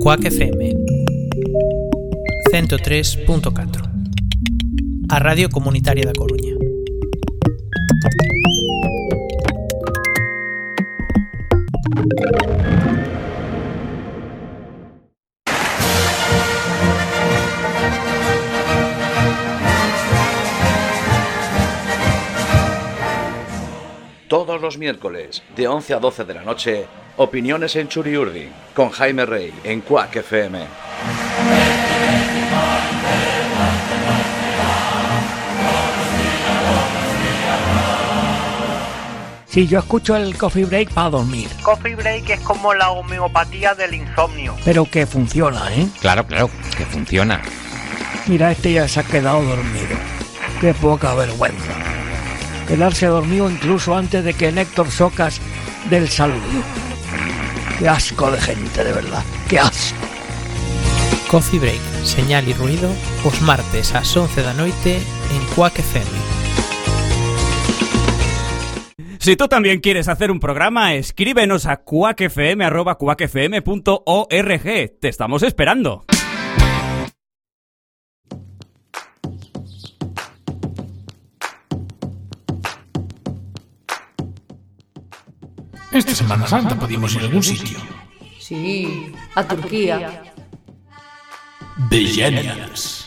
Cuac FM 103.4, a Radio Comunitaria da Coruña. Todos los miércoles, de 11 a 12 de la noche, Opiniones en Churiurdi, con Jaime Rey, en Cuac FM. Sí, yo escucho el Coffee Break para dormir. Coffee Break es como la homeopatía del insomnio. Pero que funciona, ¿eh? Claro, que funciona. Mira, este ya se ha quedado dormido. Qué poca vergüenza. Quedarse dormido incluso antes de que Néctor Socas dé el saludo. Qué asco de gente, de verdad. Qué asco. Coffee Break, señal y ruido, os martes ás 11 da noite en Cuac FM. Si tú también quieres hacer un programa, escríbenos a cuacfm@cuacfm.org. Te estamos esperando. Esta Semana Santa podíamos ir a algún sitio. Sí, a Turquía. The Genials.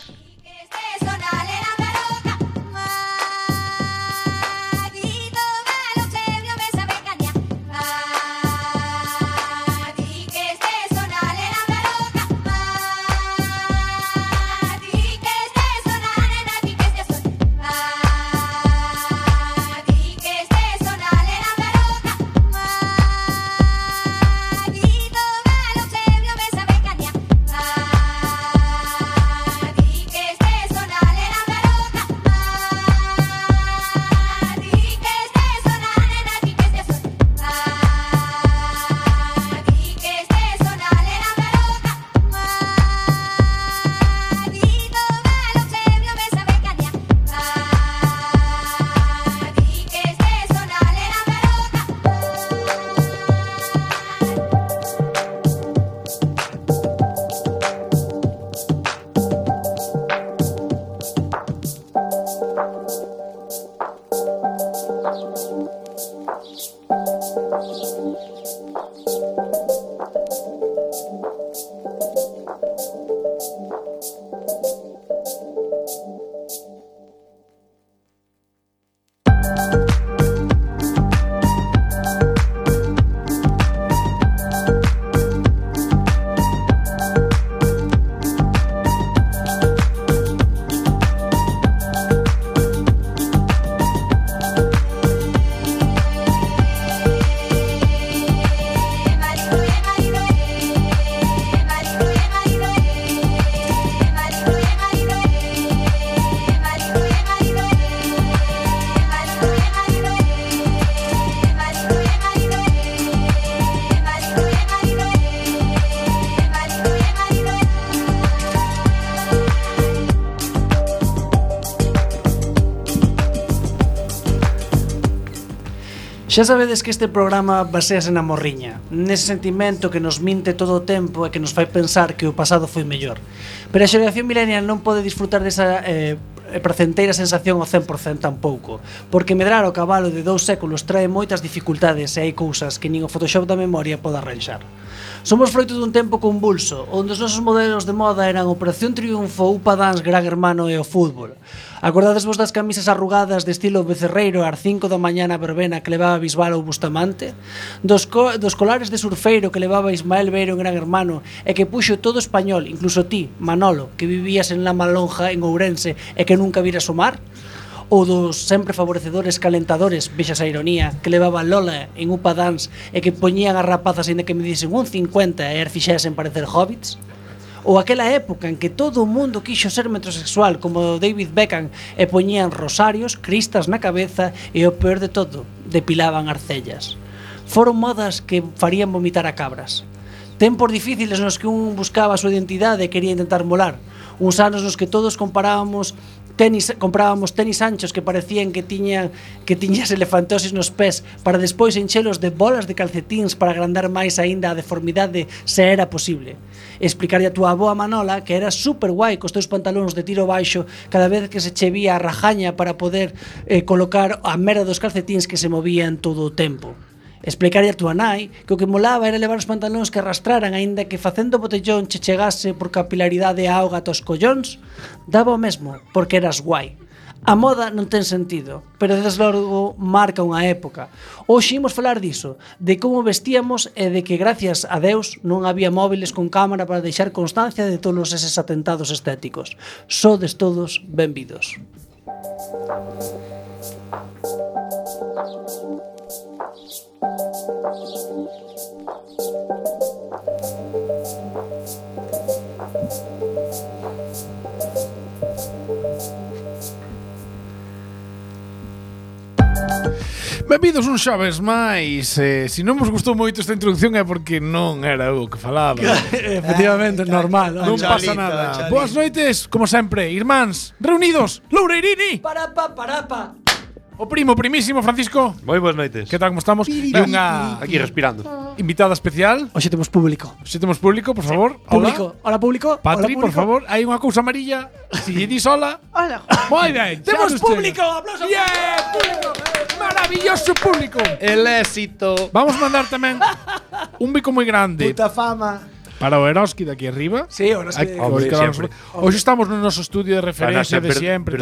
Xa sabedes que este programa basease na morriña, nese sentimento que nos minte todo o tempo e que nos fai pensar que o pasado foi mellor. Pero a xeración millennial non pode disfrutar desa pracenteira sensación ao 100% tampouco, porque medrar o cabalo de 2 séculos trae moitas dificultades e hai cousas que nin o Photoshop da memoria pode arranxar. Somos froito dun tempo convulso, onde os nosos modelos de moda eran Operación Triunfo, Upa Dance, Gran Hermano e o fútbol. Acordadesvos das camisas arrugadas de estilo becerreiro ás 5 da mañá na verbena que levaba Bisbal ou Bustamante? Dos colares de surfeiro que levaba Ismael Beiro en Gran Hermano e que puxo todo español, incluso ti, Manolo, que vivías en La Malonja, en Ourense, e que nunca viras o mar? Ou dos sempre favorecedores calentadores, vexas a ironía, que levaba Lola en Upa Dance e que poñían as rapazas ainda que me disen un 50 e as fixesen parecer hobbits? Ou aquela época en que todo o mundo quixo ser metrosexual como David Beckham e poñían rosarios, cristas na cabeza e o peor de todo, depilaban as cellas. Foron modas que farían vomitar a cabras. Tempos difíciles nos que un buscaba a súa identidade e quería intentar molar. Uns anos nos que todos comparábamos comprábamos tenis anchos que parecían que tiñas elefantosis nos pés para despois enchelos de bolas de calcetíns para agrandar máis aínda a deformidade se era posible. Explicarlle a túa avoa Manola que era super guai cos teus pantalóns de tiro baixo cada vez que se che vía a rajaña para poder colocar a merda dos calcetíns que se movían todo o tempo. Explicarlle a túa nai que o que molaba era levar os pantalóns que arrastraran aínda que facendo botellón che chegase por capilaridade a auga tos collóns, daba o mesmo, porque eras guai. A moda non ten sentido, pero desde logo marca unha época. Hoxe imos falar diso, de como vestíamos e de que gracias a Deus non había móviles con cámara para deixar constancia de todos eses atentados estéticos. Sodes todos benvidos. Benvidos un xoves máis. Se non vos gustou moito esta introducción é porque non era o que falaba. Efectivamente, normal. Non pasa nada. Boas noites, como sempre, irmáns reunidos. Loureirini. Parapa. O primísimo Francisco. Moi boas noites. Que tal, como estamos? E unha Aquí respirando. invitada especial. Hoxe temos público. Por favor. Hola, público. Patri, por favor, hai unha cousa amarilla. Si lle dis hola. Hola. Moi ben. Temos xa nos público. chega. Aplausos. Público. Maravilloso público. El éxito. Vamos mandar tamén un bico moi grande Puta fama. para o Eroski de aquí arriba. Sí, ahora sí. Hoxe estamos no noso estudio de referencia de sempre.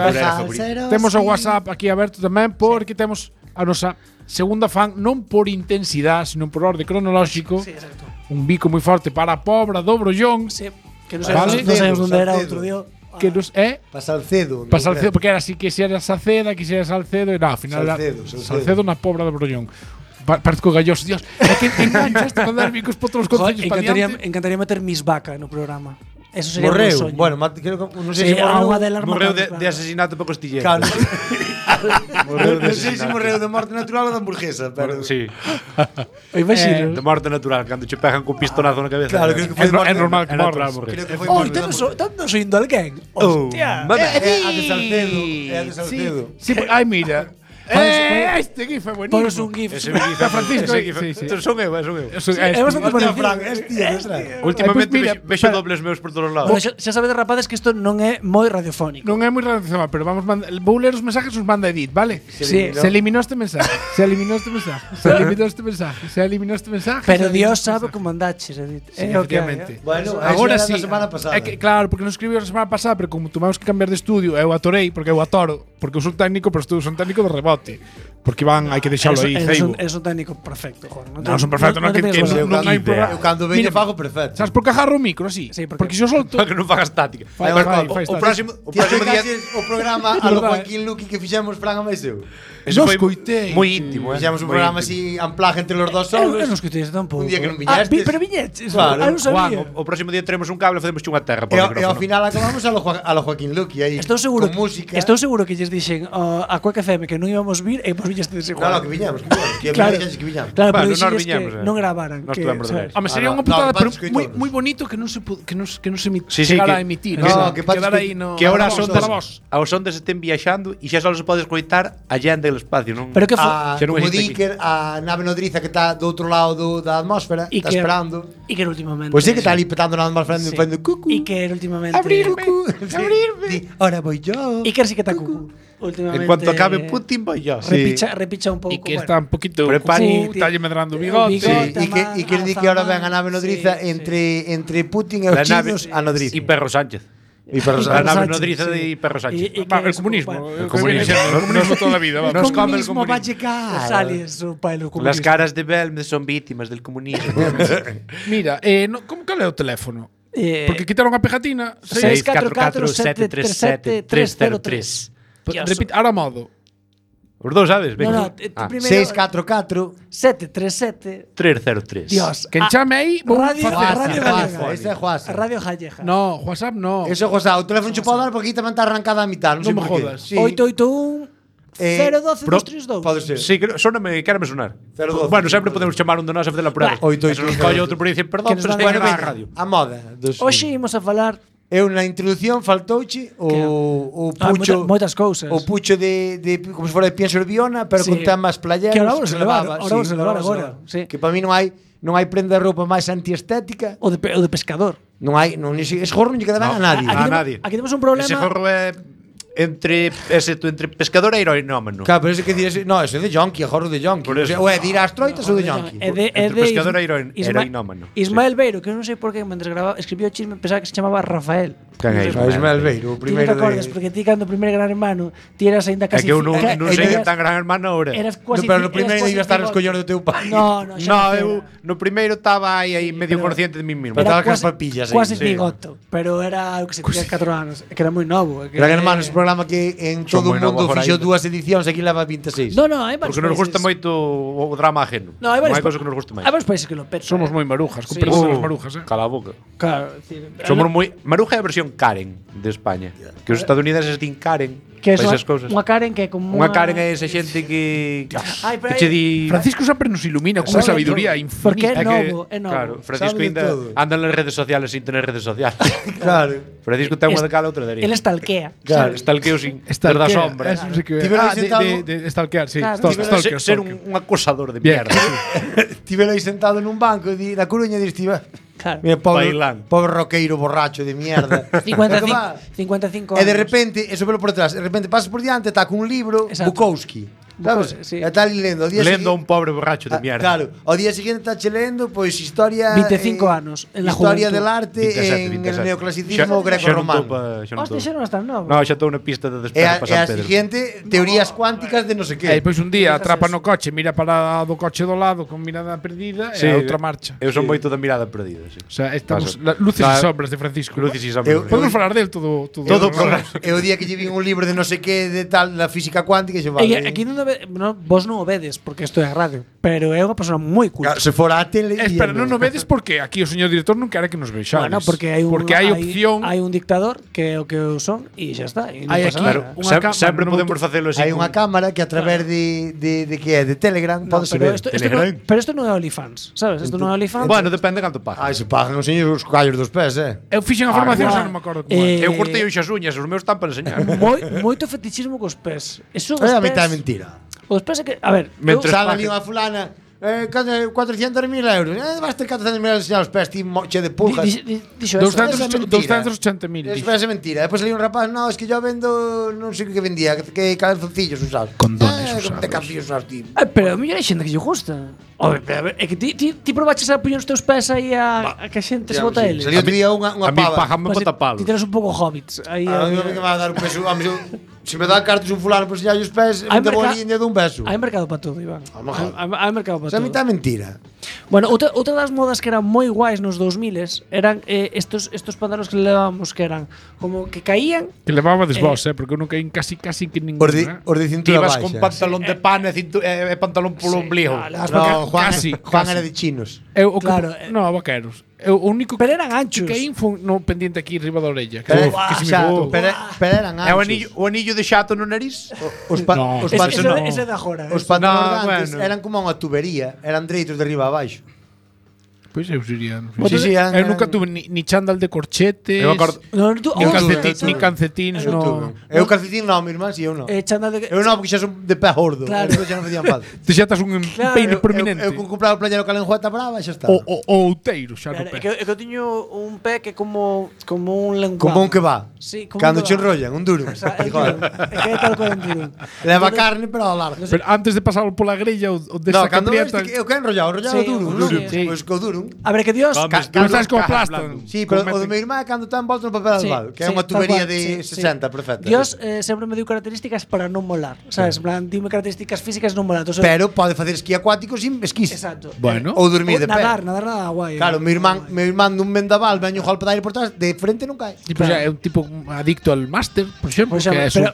Temos o WhatsApp aquí aberto tamén porque temos a nosa segunda fan non por intensidade, sino por orde cronolóxico. Sí, exacto. Un bico moi forte para a Pobra do Brollón. Sí, que non sabemos onde era outro día. Que nos Salcedo. porque era así que se era Saceda, que se era Salcedo e na final Salcedo na Pobra do Brollón. Parece que o galloso, Dios, é que engancha este mandar bicos por todos os concellos para diante. Encantaría meter Miss Vaca no programa. Eso sería un Morreu. soño. Bueno, creo que non sei se Morreu de asesinato por costillero. Claro. Non sei se morreu de morte natural ou de hamburguesa, pero Sí. Imagino. De morte natural, cando che pegan con pistonazo na cabeza. Claro, creo que foi de morte. É normal que morra. Creo que foi Oh, morte. estamos oindo alguén. Hostia. É a de Salcedo. É a de Salcedo. Sí, ai mira. Este gif é buenísimo. Ponos un gif. Ese gif é Francisco. Sí. Son eu. É bastante parecido. Últimamente mira, vexo dobles meus por todos lados. Bueno, xa sabedes, rapazes, que isto non é moi radiofónico. Non é moi relacionado, pero vamos vou ler os mensajes que nos manda Edith, vale? Sí. Se eliminó este mensaje. Se eliminó este mensaje. Pero Dios sabe como andaches, Edith. Sí, É o que hai, efectivamente. Bueno, Agora eso era sí. da semana pasada. É que, claro, porque non escribiu a semana pasada, pero como tuvimos que cambiar de estudio, eu atorei, porque eu atoro, porque eu son técnico, pero estou son técnico de rebote. Porque hai que deixalo aí, ceibo. É un técnico perfecto, Juan. Non son perfecto, non hai programa. Eu cando veño fago perfecto. Sabes por que agarro o micro así? Sí, porque se eu solto. Para que non fagas tática. Fai O próximo día O programa a lo Joaquín Luqui que fixemos Fran a máis eu. Eso Nos foi coitei. moi íntimo, Fixemos un programa así amplaje entre los dos Eu solos. non escutei tampouco. Un día que non viñestes. Pero viñetes. Claro. Non Juan, sabía. o próximo día teremos un cable e facemos unha terra E ao final acabamos a lo Joaquín Luqui aí. Estou seguro con música. Estou seguro que lles dixen a Quack FM que non íbamos vir e vos viñestes igual. No, que viñamos. Que Claro. que viñamos. Claro, pero Bueno, dixen nós viñamos, que non gravaran. Nós que, tuvemos de ver. Home, sería no, unha putada, no, pero Patrick moi Coitones. moi bonito que non se Sí, chegara que- a emitir. No, que quedar Patrick aí no. Que ahora Vamos, aos ondas estén viaxando e xa só se pode escoitar allende do espacio, non? Pero que Xa non Como existe di aquí. que a nave nodriza que está do outro lado da atmósfera, E está que esperando. E que últimamente. Pois sí que está ali petando na atmósfera Sí. facendo cucu. E que últimamente. Abrirme. Abrirme. Ahora voy yo. E que sí que está cucu. Últimamente. En cuanto acabe Putin, voy yo. Repicha un pouco. E que está un poquito Prepare- talle medrando o bigote. E que di que ahora ven a nave nodriza entre Putin e os chinos a nodriza. E Perro Sánchez. E Perro A Sánchez. nave nodriza de Perro Sánchez. E Va, que el comunismo. El comunismo. El comunismo toda la vida. El Vamos. comunismo va a llegar. Os aliens, o pai do Las comunismo. caras de Belmez son víctimas del comunismo. Mira, como cal é o teléfono? Eh, Porque quitaron a pegatina. 644-737-303. Repite, ahora modo. Os dous, sabes? No, Venga. no, primeiro 644 737 303. Dios. Quen chame aí, vou Radio facer. Gallega. Ese é Juasa. Radio Gallega. No, WhatsApp no. Eso é Juasa. O teléfono che pode dar porque aquí tamén está arrancada a mitad. Non sei Non me por qué. jodas. Sí. 881 012 232. Pode ser. Sí, quérame sonar. 012. Bueno, sempre podemos chamar un de nós a facer a prueba. Oito, Eso oito, nos colle outro por dicir, perdón, Que nos pero van é a que Bueno, na veña, radio. a moda. Dos... Hoxe imos a falar Eu na introducción faltouche o pucho moitas cousas. O pucho de como se fora de Pienso Biona, pero con temas playeros. Que ahora se levaba, agora. Sí. Que para mí non hai prenda de roupa máis antiestética. O de pescador. Non hai, ese gorro non lle queda ben a nadie. A nadie. Aquí temos un problema. Ese gorro é entre pescador e heroinómano. Claro, pero ese que dir, no, ese é de jonqui, é gorro de jonqui. O é de ir ás troitas ou de jonqui. Entre pescador e heroinómano. Ismael Beiro, que non sei por que mentres escribiu o chisme pensaba que se chamaba Rafael. Quen é Ismael Beiro, o primeiro de... Ti te acordas, porque ti cando o primeiro Gran Hermano ti eras ainda casi... É que eu non sei tan Gran Hermano ahora. Pero no primeiro iba a estar os collones do teu pai. No, eu no primeiro estaba aí medio consciente de mí mesmo. Estaba cas papillas aí. Quase bigoto, pero era o que se tiña 4 anos, que era moi novo. Gran Hermano é un programa que en todo o mundo fixo 2 edicións, aquí leva 26. No, hai varios. Porque nos gusta moito o drama ajeno. Non hai varios cousas que nos gusta máis. Hai varios países que lo petan. Somos moi marujas, con perdón das marujas, Cala a boca. Claro, somos moi Maruja é a versión Karen de España. Que os estadounidenses din Karen. Que é unha Karen que é como unha Karen é esa xente que che di Francisco sempre nos ilumina con unha sabiduría infinita. Porque é novo, é novo. Claro, Francisco ainda anda nas redes sociales sin tener redes sociales. Claro. Francisco ten unha de cala, outra de Ele stalkea. Claro, stalkeo sin ter da sombra. De stalkear, sí. Ser un acosador de mierda. Estive aí sentado nun banco na Coruña e estive Claro. Mira, pobre roqueiro borracho de mierda. 55 anos. E de repente, eso velo por detrás, de repente pasas por diante, está con un libro, Bukowski. ¿Sabes? Sí. Está ali lendo. Lendo a un pobre borracho de mierda. Claro, ao día seguinte está che lendo, pois historia 25 anos en la historia juventud. del arte 27. En el neoclasicismo greco-romano. Hostia, xa non estás novo. No, xa estou na pista de despegue para E a San Pedro. seguinte, teorías cuánticas de non sei que. E pois un día atrapa no coche, mira para do coche do lado con mirada perdida e a outra marcha. Eu son moito da mirada perdida, sí. O sea, estamos luces e sombras de Francisco. Luces e sombras. Podemos falar del todo o programa. E o día que lle vin un libro de non sei que de tal da física cuántica, xe vale. Aquí vos non o vedes porque isto é radio, pero é unha persona moi culta. Se fora a tele. Espera, non o vedes porque aquí o señor director non quere que nos vexades. Bueno, porque hai opción. Hai un dictador que é o que eu son e xa está. Hai aquí sempre podemos facelo así. Hai unha cámara que a través de que é de Telegram pode ser. Pero isto non é OnlyFans, sabes? Isto non é OnlyFans. Bueno, depende canto pagas. Se pagan os señores os callos dos pés, Eu fixen a formación, xa non me acordo como é. Eu cortei as uñas, os meus están para enseñar. Moito fetichismo cos pés. Eso é a mitad mentira. Os pés é que, a ver, sale ali unha fulana 400.000 euros. Vas ter 400.000 euros enseñar os pés, ti che de pulgas. 280.000. Eso é mentira. Depois ali un rapaz, no, es que yo vendo, non sei que vendía, que calzoncillos usados. Condones usados. Te cambios usados, ti. Pero a mellor hai xente que lle gusta. Pero é que ti probaches a poñer os teus pés aí a que a xente se bota eles. Salió outro día unha pava. A mí bota palos. Ti tenes un pouco hobbits. Aí a mí me va a dar un peso. Se me dá cartas un fulano por enseñar os pés, me debo a liña dun beso. Hai mercado para todo, Iván. Hai mercado para todo. A mí tá mentira. Bueno, outra das modas que eran moi guais nos 2000s eran estos pantalóns que levábamos que eran como que caían. Que levabades vos, porque eu non caí casi que ningún. Os de cintura baixa. Ibas con pantalón de pan e pantalón polo ombligo. No, Juan era de chinos. Claro. No, vaqueros. O único pero eran anchos. Que caí foi no pendiente aquí arriba da orella. Pero eran anchos. O anillo de xato no nariz? Ese de agora. Os pantalóns eran como unha tubería, eran dreitos de arriba a abaixo. Pois eu sería. Eu nunca tuve ni chándal de corchetes. Ni calcetines, no. Eu calcetín non, mi irmán, si eu non. Eu non, porque xa son de pé gordo. Claro. Xa non facían falta. Te xa estás un peine prominente. Eu compraba o playero calenjueta brava e xa está. O outeiro, xa no pé. É que eu tiño un pé que como un lenguado. Como un que va. Sí, cando che enrollan, un duro. É que é tal cual un duro. Leva carne, pero ao largo. Pero antes de pasarlo pola grella ou desa caprieta. Eu que enrollado duro. Pois co duro. A ver, que Dios estás como plasta. Sí, pero o do meu irmán é cando está envolto no papel albal, que é unha tubería de 60 perfecta. Dios sempre me deu características para non molar, sabes? En plan, dime características físicas non molar. Pero pode facer esquí acuático sin esquís. Exacto. Bueno. Ou dormir de pé. Nadar nada guai. Claro, meu irmán dun vendaval veño golpe de aire por trás, de frente non cae. Tipo, é un tipo adicto al máster, por exemplo,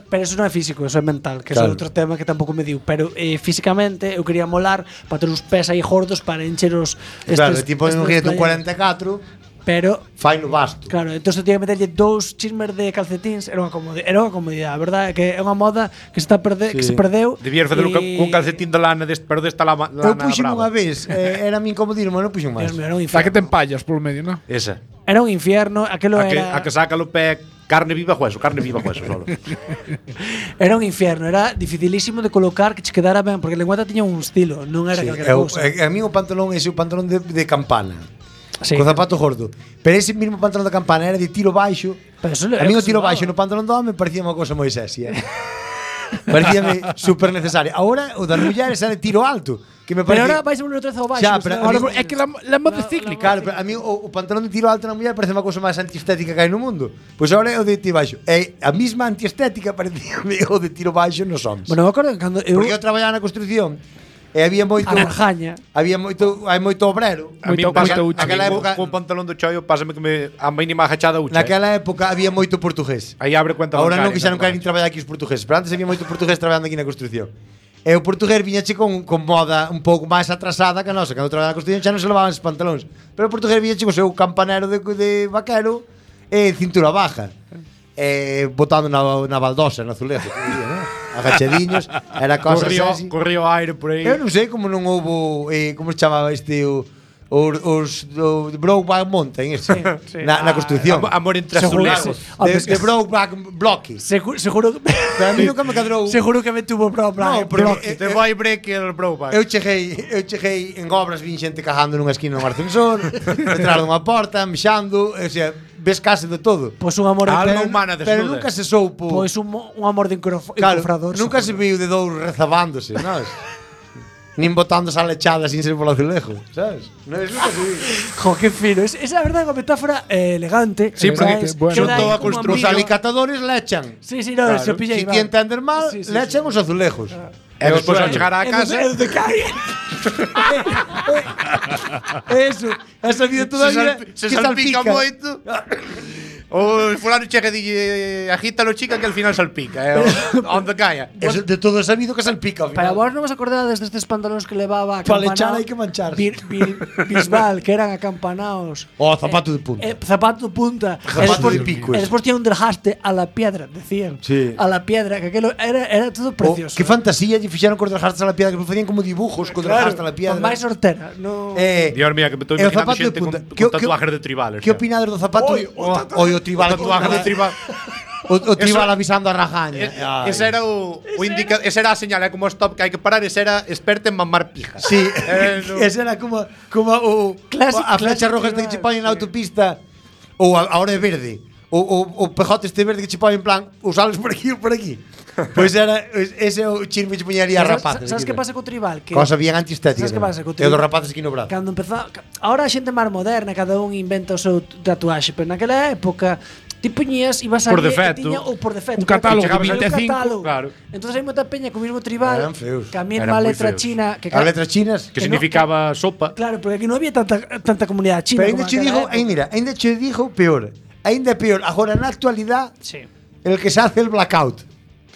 pero eso non é físico, eso é mental, que é outro tema que tampouco me diu, pero físicamente eu quería molar para ter os pés aí gordos para encher os claro, tipo un 44. Pero fai no basto. Claro, entón se tiña que meterlle 2 chismes de calcetíns, era unha comodidade, a verdade, que é unha moda que se perdeu. Debías facelo cun calcetín de lana pero desta lana Eu puxen unha vez, era mi incomodismo, non puxen máis. Está que te empallas polo medio, non? Esa. Era un infierno, aquelo era. A que saca o pé carne viva hueso solo. Era un infierno, era dificilísimo de colocar que che quedara ben, porque a lengüeta tiña un estilo, non era calquera cousa. A mí o pantalón ese, o pantalón de campana. Sí. Co zapato gordo. Pero ese mismo pantalón de campana era de tiro baixo. A mí o tiro baixo no pantalón do home parecía unha cousa moi sexy. Parecíame super necesaria. Ahora o das mulleres era de tiro alto. Que me parece... Pero ahora vais a un outra vez ao baixo. Xa, pero é que la moda cíclica. Claro, pero a mí o pantalón de tiro alto na muller parece unha cousa máis antiestética que hai no mundo. Pois agora é o de tiro baixo. É a mesma antiestética parecía o de tiro baixo nos homens. Bueno, me acordo cando eu porque eu traballaba na construcción e había moito hai moito obrero. A mí pasa aquela época con pantalón do choio pásame que a mínima agachada ucha. Naquela época había moito portugués. Aí abre cuenta bancaria. Ahora non quixeron querer traballar aquí os portugueses, pero antes había moito portugués traballando aquí na construción. E o portugués viñache con moda un pouco máis atrasada que a nosa, cando traballaba na construción xa non se levaban os pantalóns. Pero o portugués viñache co seu campanero de vaquero e cintura baja. Botando na baldosa, no azulejo, agachadiños, era cosa así. Corrió aire por aí. Eu non sei como non houbo, como se chamaba os Brokeback Mountain na construcción. Amor entre azulejos. De Brokeback Blocky. Seguro pero a mí nunca me cadrou. Seguro que me tuvo Brokeback. No, porque te vai break el Brokeback. Eu cheguei en obras, vin xente cagando nunha esquina dun ascensor, detrás dunha porta, mexando, o sea, ves case de todo. Pois un amor alma humana desnuda. Pero nunca se soupo. Pois un amor de encofrador. Nunca se viu de dous rezabándose, sabes? Nin botándose a lechada sin ser polo azulejo, sabes? Non es nunca se viu. Jo, que fino. Esa é a verdade, unha metáfora elegante. Sí, porque xunto a construción. Os alicatadores lechan. Sí, no, se pilla igual. Si ti entender mal, lechan os azulejos. E despois ao chegar á casa é donde cae. Eso, esa vida toda a vida se salpica moito. O fulano chega e dille agítalo chica que al final salpica, onde caia. Eso de todo sabido que salpica ao final. Para vos non vos acordades destes pantalóns que levaba a para lechar hai que manchar. Bisbal, que eran acampanaos. Zapato de punta. Zapato de punta. Zapato de pico. E despois tiña un desgaste a la piedra, decían. Sí. A la piedra, que aquilo era todo precioso. Que fantasía lle fixeron cos desgastes a la piedra, que facían como dibujos con desgastes a la piedra. Máis sortera, no. Dios mío, que me estou imaginando xente con tatuajes de tribales. Que opinades do zapato? O tribal, tatuaje de tribal. O tribal avisando a rajaña. Esa era esa era a señal, como stop que hai que parar, esa era experta en mamar pija. Sí. Esa era como a flecha roja esta que che poñen na autopista ou ahora é verde. O pejote este verde que che poñen en plan, usales por aquí ou por aquí. Pois era ese o chisme que poñaría a rapaces. Sabes que pasa co tribal? Cosa bien antiestética. Sabes que pasa co tribal? E dos rapaces aquí no brazo. Cando empezou, ahora a xente máis moderna, cada un inventa o seu tatuaxe, pero naquela época ti poñías, ibas a por defecto, ou por defecto, un catálogo de 25, claro. Entonces hai moita peña co mismo tribal, que a mesma letra china, que as letras chinas que significaba sopa. Claro, porque aquí non había tanta comunidade china. Pero ainda che digo, ainda che digo peor. Ainda peor, agora na actualidade, el que se hace el blackout.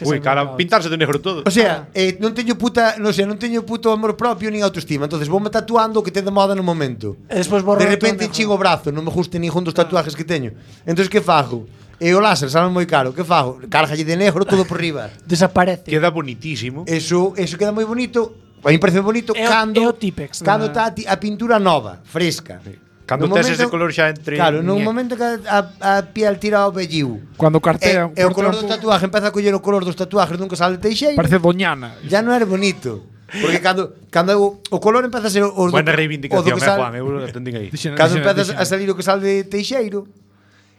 Uy, cara, pintarse de negro todo. O sea, non teño puto amor propio nin autoestima. Entonces voume tatuando o que te de moda no momento. E despois borro. De repente chingo o brazo, non me guste ningún dos tatuajes que teño. Entonces que fago? E o láser sabe moi caro. Que fago? Cárgalle de negro todo por riba. Desaparece. Queda bonitísimo. Eso queda moi bonito. A mí parece bonito cando está a pintura nova, fresca. Cando tes ese color xa entre. Claro, nun momento que a piel tira o velliu. Cando cartea. E o color do tatuaje empeza a coller o color dos tatuajes dun que sale Teixeira. Parece doñana. Ya non era bonito. Porque cando o color empeza a ser o buena reivindicación, Juan, eu atendín aí. Cando empeza a salir o que sale de Teixeiro,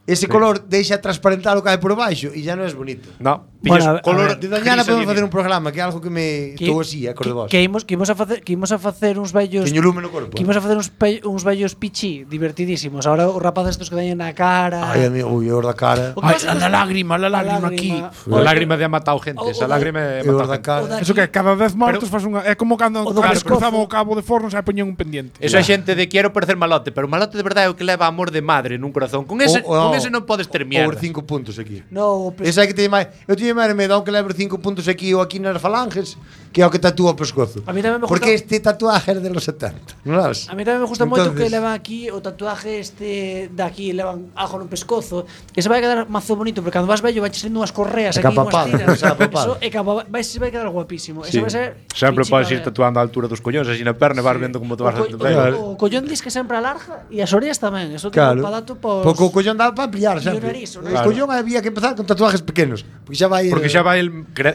ese color deixa transparentar o que hai por baixo e ya non é bonito. No, bueno, color de doñana podemos facer un programa que é algo que me estou así, cor de vos. Que imos a facer uns vellos. Teño lume no corpo. Que imos a facer uns vellos pichi divertidísimos. Ahora os rapaces estos que dañen na cara. Ai, amigo, ui, os da cara. Ai, la lágrima aquí. A lágrima de ha matado gente, esa lágrima de matado cara. Eso que cada vez mortos faz unha, é como cando cruzaban o cabo de forno e poñían un pendiente. Eso é xente de quero parecer malote, pero malote de verdade é o que leva amor de madre nun corazón. Con ese ese non podes ter mierda. Ou 5 puntos aquí. No, Esa é que teñe máis. Eu teño máis medo aunque levo 5 puntos aquí ou aquí nas falanges que é o que tatúa o pescozo. A mí tamén me gusta. Porque este tatuaje é de los 70. Non sabes? A mí tamén me gusta moito que levan aquí o tatuaje de aquí, levan algo no pescozo, que se vai quedar mazo bonito, porque cando vas vello vai sendo unhas correas aquí, unhas tiras. Eso é que se vai quedar guapísimo. Eso vai ser sempre podes ir tatuando a altura dos collóns, así na perna, vas vendo como te vas a tatuar. O collón dis que sempre alarga e as orellas tamén. Eso claro. tipo para dato pos. Porque o collón dá para ampliar sempre. O collón había que empezar con tatuajes pequenos, porque xa vai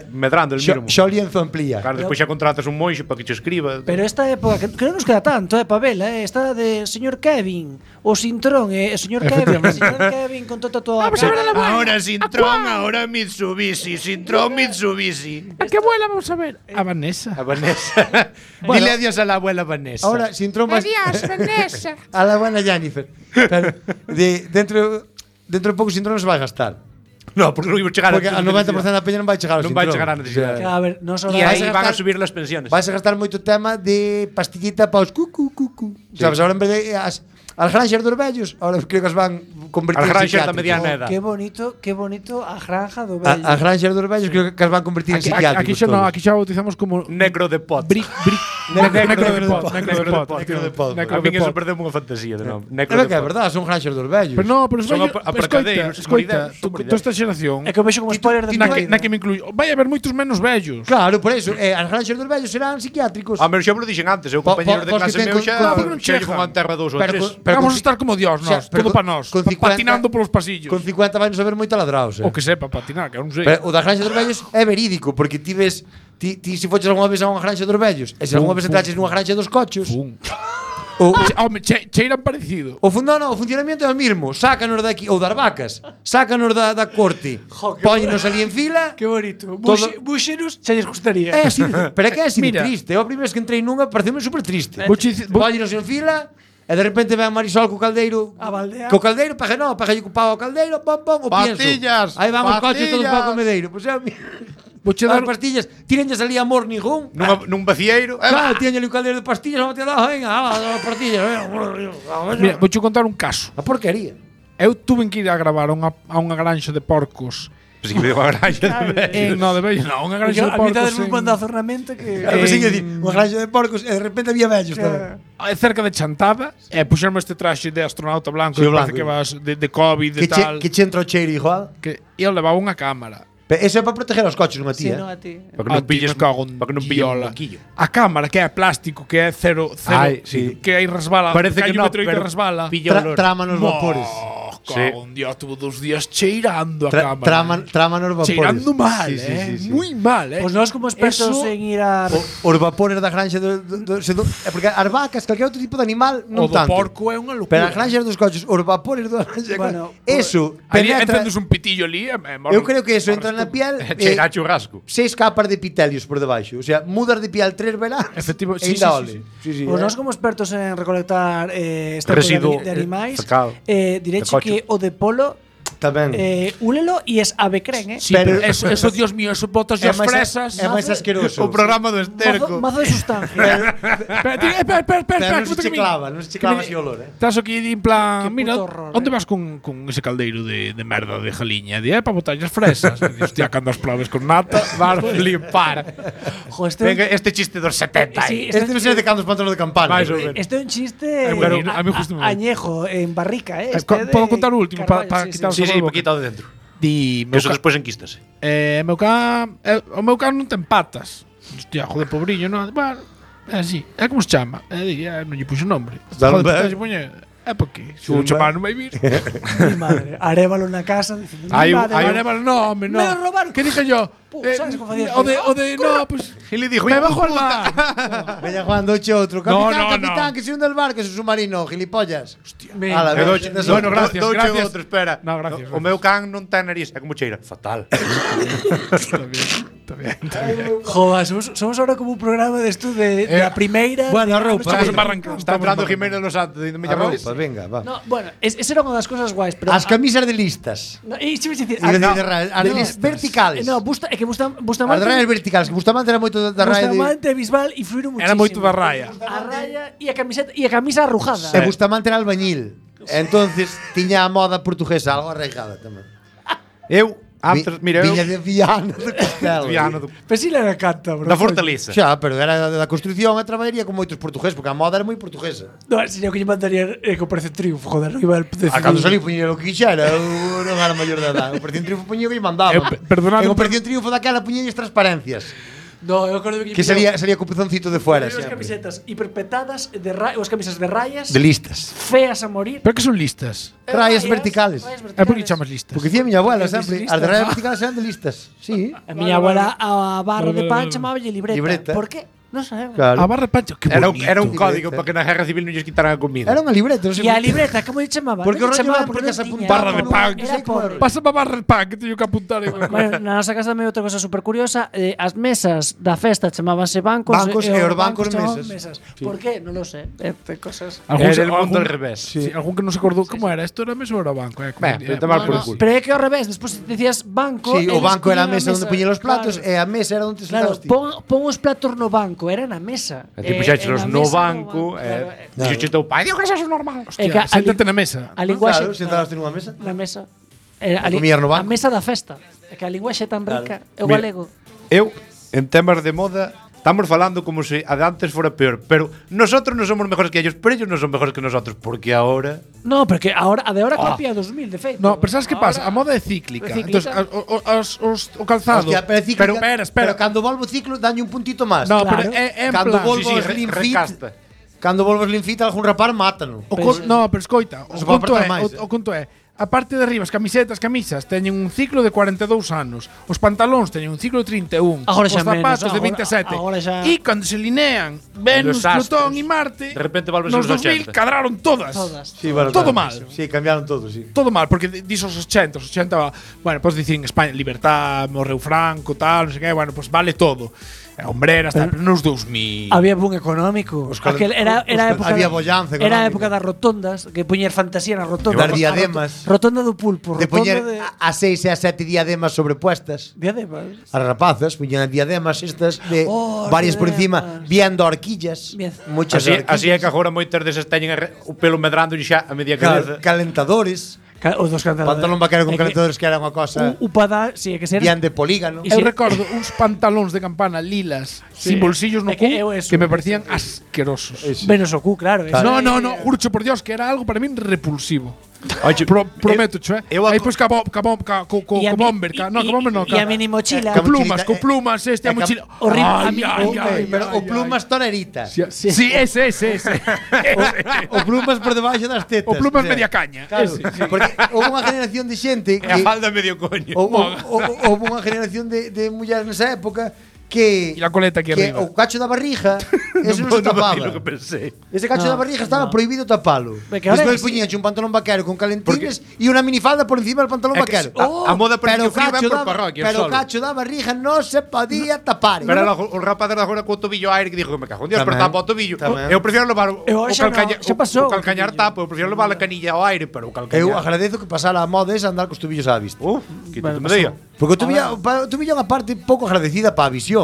medrando el mínimo. Xa o lienzo amplía. Claro, despois xa contratas un monxe para que che escriba. Pero esta época que non nos queda tanto, para vela, esta de señor Kevin, o Sintrón, señor Kevin con todo tatuado. Ahora Sintrón, ahora Mitsubishi, Sintrón Mitsubishi. ¿A qué abuela vamos a ver? A Vanessa. A Vanessa. Dile adiós a la abuela Vanessa. Ahora Sintrón vas. Adiós, Vanessa. A la buena Jennifer. Pero dentro de pouco Sintrón se vai gastar. No, porque non iba a chegar porque a 90% da peña non vai chegar ao non Sintrón. vai chegar a necesidade. A ver, e aí van a subir las pensiones. Vais a gastar moito tema de pastillita para os cucu. Sabes, ahora en vez de as granxas dos vellos, ahora creo que as van convertir en granxas da mediana edad. Qué bonito a granja do vello. As granxas dos vellos creo que as van convertir en psiquiátricos. Aquí xa bautizamos como negro de pot. Negro de pot. A mí eso perdeu unha fantasía de nome. Pero que é verdade, son granxas dos vellos. Pero no, pero son aparcadeiros, escoita, tú esta xeración. É que o vexo como spoiler de na que me incluyo. Vai haber moitos menos vellos. Claro, por eso, as granxas dos vellos serán psiquiátricos. A menos xa me lo dixen antes, eu compañeros de clase meu xa lle fan terra 2 ou 3. Vamos a estar como Dios, nós, todo para nós, patinando polos pasillos. Con 50 vai non saber moito ladraos. O que sepa patinar, que eu non sei. Pero o das granxas dos vellos é verídico, porque ti ves ti se foches algunha vez a unha granxa dos vellos, e se algunha vez entraches nunha granxa dos cochos. Home, cheiran parecido. O funcionamento é o mismo. Sácanos daqui, ou das vacas, sácanos da corte, póñenos ali en fila. Que bonito. Buxeros, xa lles gustaría. É así, pero é que é así de triste. Eu a primeira vez que entrei nunha pareceu-me super triste. Póñenos en fila. E de repente ven a Marisol co caldeiro. Co caldeiro, paje ocupado o caldeiro, pom, o pastillas, pienso. Aí vamos os coches todos para o comedeiro. Pois é, as pastillas, tírenlles ali amor ningún. Nun vacieiro. Claro, tírenlle ali o caldeiro de pastillas, vamos a tirar, venga, as pastillas. Mira, vouche contar un caso. A porquería. Eu tuve que ir a gravar a unha granxa de porcos. Pues que me digo a granxa de vellos. No, de vellos, no, unha granxa de porcos. A mitad del mandazo realmente que unha granxa de porcos e de repente había vellos tamén. Cerca de Chantada, puxerme este traxe de astronauta blanco, parece que vas de COVID e tal. Que che entra o cheiro igual. Que eu levaba unha cámara. Eso é para proteger os coches, non a ti, sí, non a ti. Para que non pilles para que non pillola. A cámara que é plástico, que é cero, que aí resbala, parece que non, pero resbala. Trama nos vapores. Un día tuvo 2 días cheirando a cámara. Trama nos vapores. Cheirando mal, moi mal, Pois nós como expertos en ir a os vapores da granxa porque as vacas, calquer outro tipo de animal non tanto. O do porco é unha locura. Pero as granxas dos coches, os vapores da granxa, eso encendes un pitillo ali, eu creo que eso entra na piel. Cheira a churrasco. 6 capas de epitelios por debaixo. O sea, mudas de piel 3 veranos. Efectivo, sí. Pois nós como expertos en recolectar este residuo de animais, direche que o de polo tamén. Úlelo e es avecren, Sí, pero eso, Dios mío, eso botas as fresas. É máis asqueroso. O programa do esterco. Mazo de sustancia. Pero non se checlava así olor, Estás aquí en plan, mira, onde vas con ese caldeiro de merda de jaliña? Para botar as fresas. Hostia, cando as probes con nata, vas a flipar. Venga, este chiste dos 70. Este non sei de cando os pantalones de campana. Este é un chiste añejo, en barrica, Podo contar o último para quitar Sí, paquita de dentro. Eso despois enquístase. O meu can non ten patas. Hostia, joder, pobriño, non. Bueno, é así. É como se chama? Non lle puxo nombre. É porque se un chamar non vai vir. Mi madre, arévalo na casa dicindo, hai arévalo, no. Me lo robaron. Que dije yo? ¿Sabes cómo facía? O de no, pues y le dijo, me bajo al mar. Vaya jugando outro. Capitán, que se hunde el barco, es un submarino, gilipollas. Hostia. Bueno, gracias. Gracias. Espera. No, gracias. O meu can non ten nariz, é como cheira. Fatal. Está bien. Joder, somos ahora como un programa de esto de la primeira. Bueno, roupa. Está entrando Jiménez Los Santos dicindo, me llama roupa. Venga, va. No, bueno, esa era unha das cosas guais, pero as camisas de listas. No, e se me dicir, as verticales. No, é que Bustamante. As rayas verticales, que Bustamante era moito da raya. Bustamante e Bisbal influíron muchísimo. Era moito da raya. A raya e a camiseta e a camisa arrujada. E Bustamante era albañil. Entonces tiña a moda portuguesa algo arraigada tamén. Eu antes, mira, viña de Viana do Castelo. Pesila era cántabro. Da Fortaleza. Xa, pero era da construcción e traballaría con moitos portugueses, porque a moda era moi portuguesa. No, sería o que lle mandaría que o Operación Triunfo, joder, non iba a decidir. Cando salí puñía o que quixera, eu non era maior de edad. O Operación Triunfo puñía o que lle mandaba. En Operación Triunfo daquela puñía as transparencias. No, eu acordo que sería co pezoncito de fuera, as camisetas hiperpetadas de as camisas de rayas. De listas. Feas a morir. Pero que son listas? Rayas verticales. É por que chamas listas? Porque dicía miña abuela sempre, as de rayas verticales eran de listas. Sí. A miña abuela a barra de pan chamaballe libreta. Por que? Non sabemos. Claro. A barra de pancho, que era un código para que na Guerra Civil non lles quitaran a comida. Era unha libreta. E a libreta, como lle chamaba? Porque o rollo era porque se apuntaba barra de pan. Pasa para barra de pan, que teño que apuntar. Bueno, na nosa casa tamén outra cosa super curiosa, as mesas da festa chamábanse bancos. Bancos e os bancos mesas. Por que? Non lo sé. Cosas. Era el mundo al revés. Sí, algún que non se acordou como era. Isto era mesa ou era banco? Pero é que ao revés, despois dicías banco. Sí, o banco era a mesa onde puñen os platos e a mesa era onde sentabas ti. Pon os platos no banco, era na mesa. E ti puxéchelos no banco, dixo teu pai, digo que eso é normal. Hostia, séntate na mesa. A linguaxe, claro, sentaste nunha mesa. Na mesa. A mesa da festa. É que a linguaxe é tan rica, é o galego. Eu, en temas de moda, estamos falando como se a de antes fora peor, pero nosotros non somos mejores que ellos, pero ellos non son mejores que nosotros, porque ahora... No, porque ahora a de ahora copia 2000, de feito. No, pero sabes que pasa? A moda é cíclica. Entonces, o calzado. Hostia, pero espera. Pero cando volvo o ciclo, daño un puntito máis. No, claro. Pero é en cando plan, volvo ao Slim Fit, cando volvo ao Slim Fit, algún rapar mátano. No, pero escoita, o conto é a parte de arriba, as camisas teñen un ciclo de 42 anos. Os pantalóns teñen un ciclo de 31. Agora os zapatos menos, de 27. E cando se linean Venus, Plutón e Marte, de repente volves nos aos 2000 cadraron todas. Sí, bueno, todo mal. Sí, cambiaron todo, sí. Todo mal, porque dis os 80, bueno, podes dicir en España, libertad, morreu Franco, tal, non sei que, bueno, pues vale todo. Hombreras, tal, pero nos 2000. Había boom económico. Era época, había bollanza económica. Era a época das rotondas, que puñer fantasía nas rotondas. Das diademas. Rotonda do pulpo. De poñer a 6 e a 7 diademas sobrepuestas. Diademas. As rapazas puñan diademas estas de varias por encima, viendo horquillas. Muchas horquillas. Así é que agora moitas desas teñen o pelo medrando xa a media cabeza. Calentadores. Os dos calentadores. Pantalón vaquero con calentadores que era unha cosa. Upada, sí, que ser. Bien de polígono. Eu recordo uns pantalóns de campana lilas, sin bolsillos no cu, que me parecían asquerosos. Menos o cu, claro. No, jurcho por Dios que era algo para min repulsivo. Prometo, aí pois co bomber, e a mini mochila, con plumas, a mochila horrible, pero o plumas tonerita. Sí, ese. O plumas por debaixo das tetas. O plumas media caña. Porque houve unha generación de xente que a falda medio coño. Houve unha generación de mulleres nesa época que la coleta aquí arriba. O cacho da barriga eso non se tapaba. Ese cacho da barriga estaba prohibido tapalo. Despois puñían un pantalón vaquero con calentines e unha minifalda por encima del pantalón vaquero. A moda pero frío por parroquia. Pero o cacho da barriga non se podía tapar. Pero o rapaz era agora co tobillo aire que dixo que me cago en Dios, pero tapa o tobillo. Eu prefiero levar o calcañar tapo, eu prefiero levar a canilla ao aire, pero o calcañar. Eu agradezo que pasara a moda esa andar cos tobillos á vista. Quítate me día. Porque o tobillo é unha parte pouco agradecida para a visión.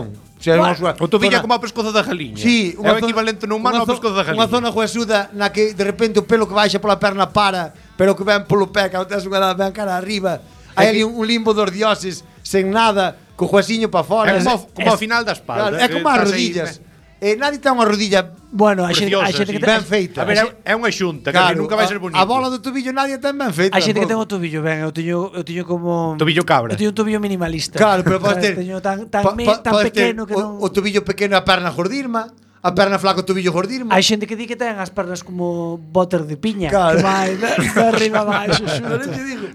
O tobillo como o pescozo da galiña. Sí, é o equivalente no humano ao pescozo da galiña. Unha zona huesuda na que de repente o pelo que baixa pola perna para, pero que ven polo pé, que tes unha ben cara arriba. Hai ali un limbo dos dioses sen nada, co huesiño para fora. É como ao final da espalda. É como as rodillas. Nadie ten unha rodilla a xente que ben feita. A ver, é unha xunta, que nunca vai ser bonito. A bola do tobillo nadie ten ben feita. A xente que ten o tobillo ben, eu teño como tobillo cabra. Eu teño un tobillo minimalista. Claro, pero podes ter teño tan pequeno que non o tobillo pequeno e a perna gordirma. A perna flaca, o tobillo gordirma. Hai xente que di que ten as pernas como boter de piña, claro. Que vai de arriba abaixo,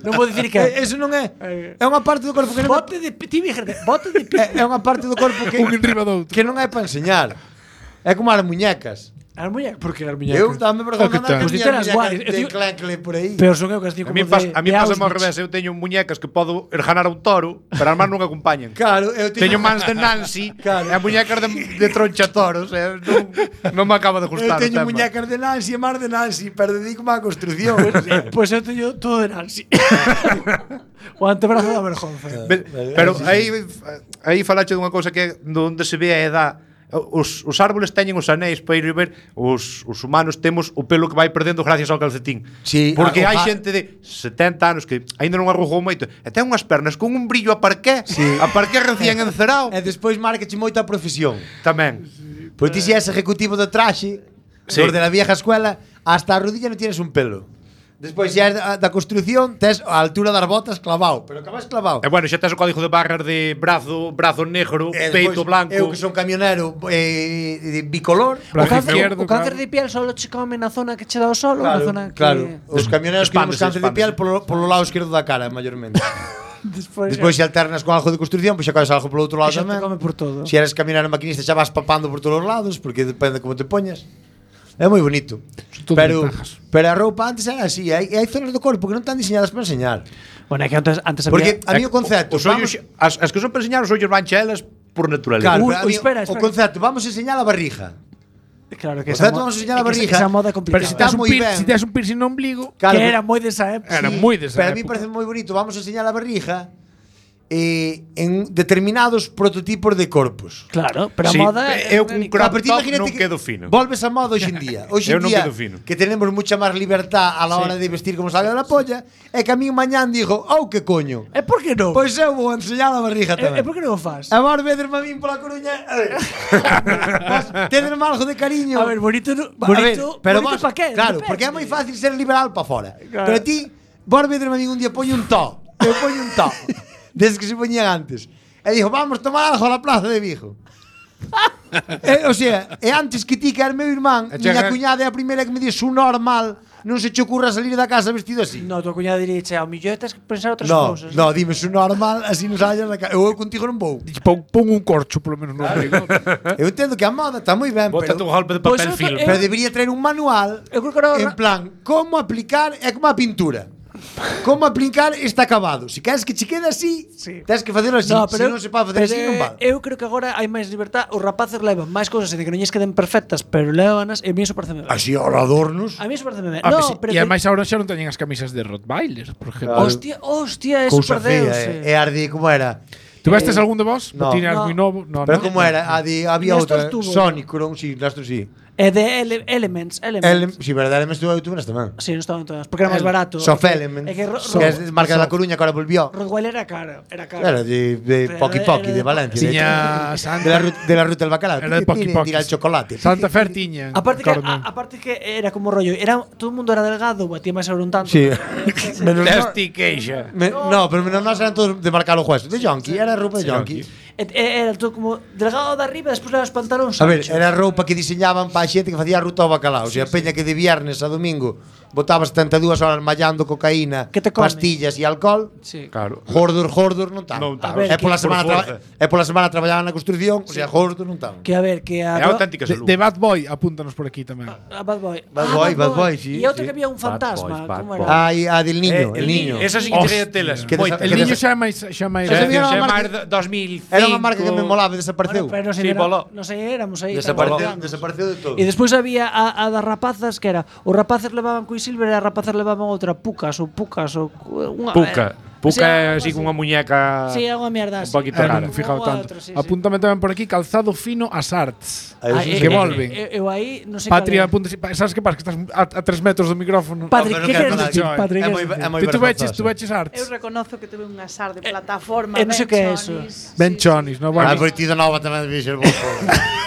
non vou dicir que eso non é. É unha parte do corpo que non bote de piña. É unha parte do corpo que un enriba do outro. Que non é para enseñar. É como as muñecas. As muñecas? Por que as muñecas? Eu dame por favor andar pues as guais de clancle por aí. Pero son eu que as digo como a mí pasa ao revés. Eu teño muñecas que podo erganar a un toro, pero as mans non acompañan. Claro, eu teño mans de Nancy, e muñecas de troncha toros, non me acaba de gustar. Eu teño muñecas de Nancy e mans de Nancy, pero dedico á construcción. Pois eu teño todo de Nancy. O antebrazo da vergonza. Pero aí falache dunha cousa que onde se ve a edad. os árboles teñen os anéis para ir ver, os humanos temos o pelo que vai perdendo gracias ao calcetín. Sí, porque hai xente de 70 anos que aínda non arrugou moito e ten unhas pernas con un brillo a parqué, a parqué recién encerado. E despois márcache moito a profesión. Tamén. Pois ti si és ejecutivo do traxe, los de la vieja escuela, hasta a rodilla non tienes un pelo. Despois xa da construcción tes a altura das botas clavado, pero acabas clavado. E bueno, xa tes o código de barras de brazo negro, peito blanco. Eu que son camionero bicolor, o cáncer de piel solo che come na zona que che dá o sol, na zona que os camioneros que temos cáncer de piel polo lado esquerdo da cara, maiormente. Despois se alternas con algo de construcción, pois xa comes algo polo outro lado tamén. Se eres camionero maquinista xa vas papando por todos os lados, porque depende como te poñas. É moi bonito. Pero a roupa antes era así, hai zonas do corpo que non están diseñadas para enseñar. Bueno, é que antes había... Porque a mí o concepto, as que son para enseñar os ollos van chelas por naturaleza. Claro, espera. O concepto, vamos a enseñar a barriga. Claro que vamos a enseñar a barriga. Esa moda complicada. Pero se tes un piercing no ombligo, que era moi desa época. Era moi desa época. Pero a mí parece moi bonito, vamos a enseñar a barriga en determinados prototipos de corpos. Claro, pero a moda eu un crop top non quedo fino. Volves a moda hoxe en día. Hoxe en día que tenemos mucha máis libertad a la hora de vestir como salga da polla, é que a mí mañán digo, que coño. E por que non? Pois eu vou enseñar a barriga tamén. E por que non o fas? A ver, vederme a min pola Coruña. Tenerme algo de cariño. A ver, bonito pero pa qué? Claro, porque é moi fácil ser liberal pa fora. Pero ti, vos vederme a min un día poño un to. Eu poño un to. Desde que se poñían antes. E dijo, vamos tomar algo a la plaza de Vigo. O sea, e antes que ti que era meu irmán, miña cuñada é a primeira que me dixo un normal, non se che ocurra salir da casa vestido así. No, tua cuñada diríxe, ao millón tens que pensar outras cousas. No, dime un normal, así non sallas da casa. Eu contigo non vou. Pon un corcho, polo menos no ombligo. Eu entendo que a moda está moi ben, pero un golpe de papel film. Pero debería traer un manual en plan, como aplicar, é como a pintura. Como aplicar este acabado. Se queres que che quede así, tens que facelo así. Se non se pode facer así, non vale. Eu creo que agora hai máis libertad. Os rapaces levan máis cousas de que non lles queden perfectas, pero levanas e a mí iso parece ben. Así ahora adornos. A mí iso parece ben. E ademais agora xa non teñen as camisas de Rottweiler, por exemplo. Hostia, eso perdeuse. E ardi, como era? Tu vestes algún de vos? No. Tiñas moi novo? No, pero como era? Había outra, Sonic, sí, Nastro sí. E de Elements. Si, verdade, Elements tuve nas tamén. Si, non estaban todas, porque era máis barato. Soft Elements, que é marca da Coruña que ahora volvió. Rottweiler era caro. Era de Poki Poki, de Valencia. Tiña de la ruta del bacalao. Era de Poki Poki. Tira el chocolate. Santa Fe tiña. Aparte que era como rollo, todo o mundo era delgado, batía máis sobre un tanto. Sí. Testi queixa. No, pero menos nós eran todos de marcar o hueso. De Yonki, era roupa de Yonki. Era todo como delgado de arriba, despois era os pantalóns. A ver, era roupa que diseñaban para a xente que facía a ruta ao bacalao. O sea, peña que de viernes a domingo botaba 72 horas mallando cocaína, pastillas e alcohol. Sí. Claro. Hordur non tan. É pola semana traballaban na construcción, o sea, hordur non tan. Que a ver, que a auténtica salud. De Bad Boy, apúntanos por aquí tamén. Bad Boy, sí. E outro que había un fantasma, como era? A del niño, el niño. Esa sí que tería telas. El niño xa máis 2005. Era unha marca que me molaba, desapareceu. Pero non sei, éramos aí. Desapareceu de todo. E despois había a das rapazas, que era, os rapaces levaban Quicksilver e as rapazas levaban outra Pucas ou unha Puca é así con unha muñeca. Si, é unha mierda así. Un poquito rara. Non fijado tanto. Apúntame tamén por aquí calzado fino as arts. Que volven. Eu aí non sei. Patria, apúntase, sabes que pasa que estás a 3 metros do micrófono. Patri, que queres dicir, Patri? Tu veches arts. Eu reconozo que tuve unha sar de plataforma. Non sei que é eso. Ben chonis, no bueno. A Vertido Nova tamén debía ser bo.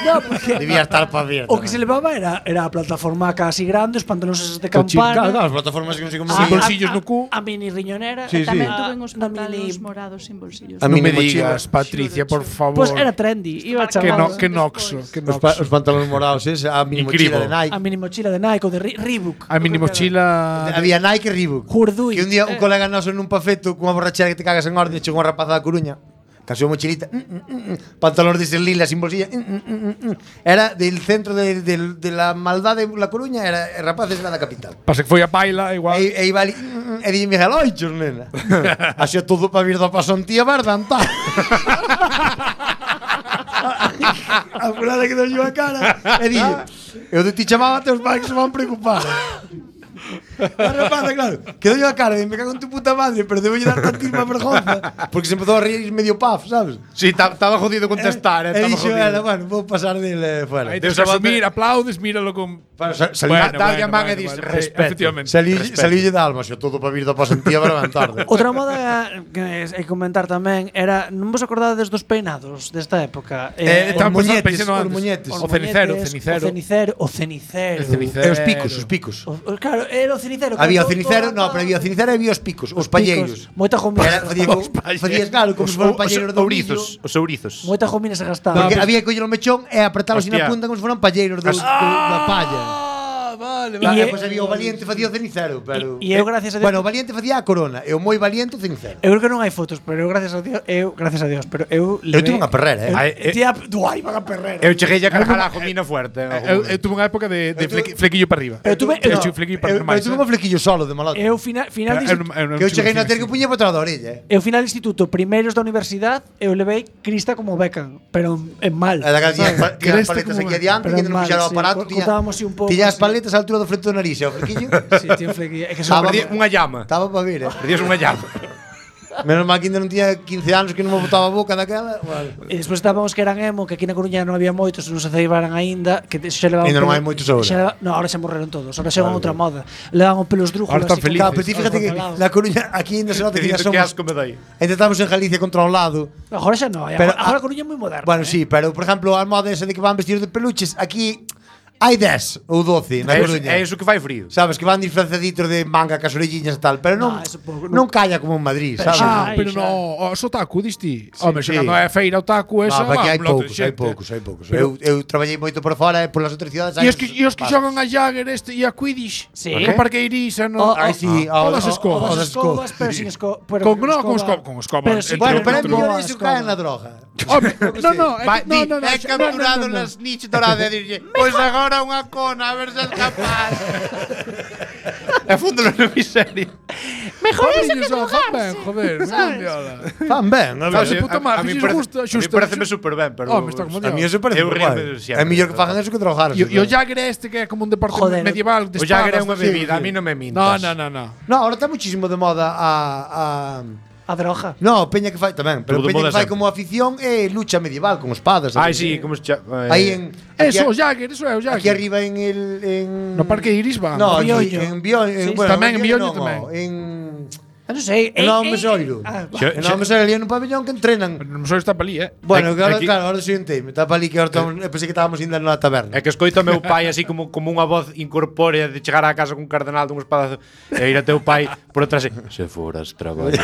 No, porque debía estar para ver. O que se levaba era a plataforma casi grande, os pantalones de campana. Claro, as plataformas que non sei como sin bolsillos no cu. A mini riñonera. Tamén tuve uns pantalones morados sin bolsillos. Non me digas, Patricia, por favor. Pois era trendy, iba chamado. Que noxo. Os pantalones morados, a mini mochila de Nike. A mini mochila de Nike ou de Reebok. A mini mochila había Nike e Reebok. Jurdui. Que un día un colega noso nun pafeto cunha borrachera que te cagas en orde, chegou unha rapaza da Coruña. Casou mochilita, pantalón de lila sin bolsilla. Era del centro de la maldad de La Coruña, era rapaces era da capital. Pasa que foi a paila igual. E iba ali, e dixen Miguel, oi, chornena. Así todo para vir do pasantía, verdad, tá. A fulana que nos lleva a cara. E dixen, eu de ti chamaba, teus pais que se van preocupar. La rapaza, claro, quedó yo a cara de me cago en tu puta madre, pero debo dar tantísima vergonza, porque se empezó a reír medio paf, ¿sabes? Sí, estaba jodido contestar, E dixo ela, bueno, vou pasar dele fuera. Aí tens que asumir, aplaudes, míralo con... Dalle a man e dis respeto. Efectivamente. Salílle de alma, xe todo para vir da pasantía para levar tarde. Outra moda que hai que comentar tamén era, non vos acordades dos peinados desta época? Os cenicero. O cenicero. E os picos. Claro, era o cenicero. Había o cenicero, no, pero había o cenicero e había os picos, os palleiros. Moita jomina. Facías claro, como se foran palleiros do ourizos. Os ourizos. Moita jomina se gastaba. Porque había que coller o mechón e apretalos na punta como se foran palleiros da palla. Vale. E pois había o valiente facía o cenicero, pero e eu gracias a Dios. Bueno, o valiente facía a corona e o moi valiente o cenicero. Eu creo que non hai fotos, pero eu gracias a Dios, pero eu tive unha perrera, Duai, van a perrera. Eu cheguei a cargar a jomina fuerte. Eu tuve unha época de flequillo para arriba. Eu tuve un flequillo solo de malato. Eu final que eu cheguei na ter que puña para atrás da orella. Eu final instituto, primeiros da universidade, eu levei crista como Beckham, pero en mal. Era que tiña as paletas aquí adiante, que non fixera o aparato, tiña as paletas á altura do frente do nariz, e o flequillo. Sí, tiña un flequillo. É que perdí unha llama. Estaba para vir, Perdías unha llama. Menos mal que ainda non tiña 15 anos que non me botaba a boca daquela. E despois estábamos que eran emo, que aquí na Coruña non había moitos, non se ceibaran aínda, que xa levaban. Ainda non hai moitos agora. No, ahora xa morreron todos. Ahora xa van outra moda. Levaban pelos drújulos. Ahora están felices. Pero fíjate que na Coruña aquí ainda se nota que somos. Que asco me dai. Ainda estamos en Galicia controlado. Agora xa non, agora a Coruña é moi moderna. Bueno, sí, pero por exemplo, a moda esa de que van vestidos de peluches, aquí hai 10 ou 12 na Coruña. É iso que fai frío. Sabes, que van disfrazaditos de manga cas orelliñas e tal, pero non calla como en Madrid, sabes? Pero no, os otaku, diste. Home, xa cando é feira otaku esa, aquí hai poucos. Eu traballei moito por fora e polas outras cidades. E os que xogan a Jagger e a Quidditch, o Parque Irisa, no. Sí, todas as escobas. Pero sin escoba. Con escobas. Bueno, pero é mellor iso cae na droga. Home, no. É capturado nas niches doradas e dirlle, pois agora unha cona, a ver se es capaz. E fúndolo na miseria. Mejor eso que fan ben, joder. Fan ben, a mí pareceme super ben, pero a mí eso parece ben. É mellor que fagan eso que drogarse. E o Jagger este que é como un deporte medieval de espadas. O Jagger é unha bebida, a mí non me mintas. No. No, ahora está muchísimo de moda a droga. No, peña que fai tamén, pero peña que fai como afición é lucha medieval con espadas. Sí, como se chama. Aí en Eso, o Jagger, eso é o Jagger. Aquí arriba en no Parque Iris va. No, en Bioño, tamén en Bioño tamén. Non sei, no Mesoiro. No Mesoiro ali en un pabellón que entrenan. O Mesoiro está pa ali, Bueno, claro, ahora siguiente, está pa ali que pensei que estábamos indo na taberna. É que escoito ao meu pai así como unha voz incorpórea de chegar á casa con un cardenal dun espadazo e ir a teu pai por atrás se foras traballar.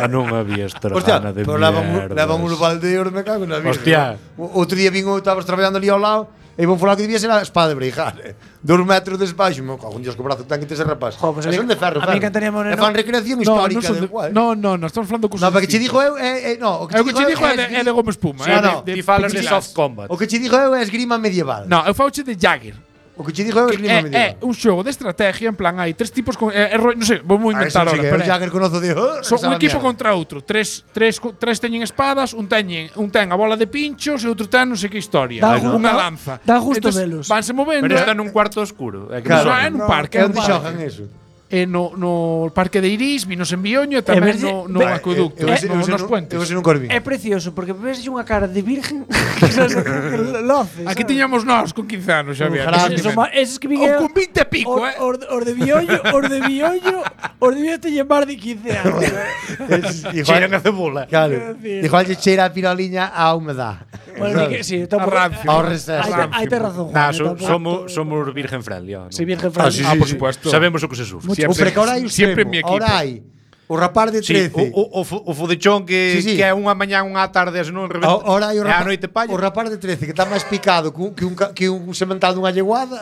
Non había estragana de mierda. Levan un baldeo, me cago na vida. Hostia. Outro día vin, estabas traballando ali ao lado e vou falar que debía ser a espada de breijar. 2 metros de espaixo, meu cago, Dios, que brazo ten que ter ese rapaz. Pues son de ferro, a mí cantaríamos e fan recreación histórica de igual. No, estamos falando cosas. No, porque che dijo eu o que che dijo é de goma espuma. Ti falas de soft combat. O que che dijo eu é esgrima medieval. No, eu fauche de Jagger. O que che digo é esgrima medieval. É un xogo de estrategia, en plan, hai 3 tipos con non sei, vou inventar agora, pero Jagger conozo de son un equipo contra outro. Tres teñen espadas, un ten a bola de pinchos e outro ten non sei que historia, unha lanza. Dá gusto velos. Vanse movendo. Pero está nun cuarto oscuro, é nun parque, onde xogan eso. No Parque de Iris, vinos en Bioño e tamén no acueducto, nos puentes. É precioso, porque ves unha cara de virgen Aquí tiñamos nós con 15 anos, xa había. Eses que vigueron con 20 e pico, Os de Bioño teñen máis de 15 anos. Cheiran a cebola. Claro. Igual lle cheira a piroliña a humedad. Bueno, sí, está ao receso. Hai ter razón. Somos virgen friendly. Sí, virgen friendly. Por supuesto. Sabemos o que se sufre. Pero que ahora hai siempre en mi equipo. Ahora hai o rapaz de 13. O fudechón que é unha mañá, unha tarde, se non reventa. Ahora hai o rapaz de 13 que está máis picado que un semental dunha lleguada.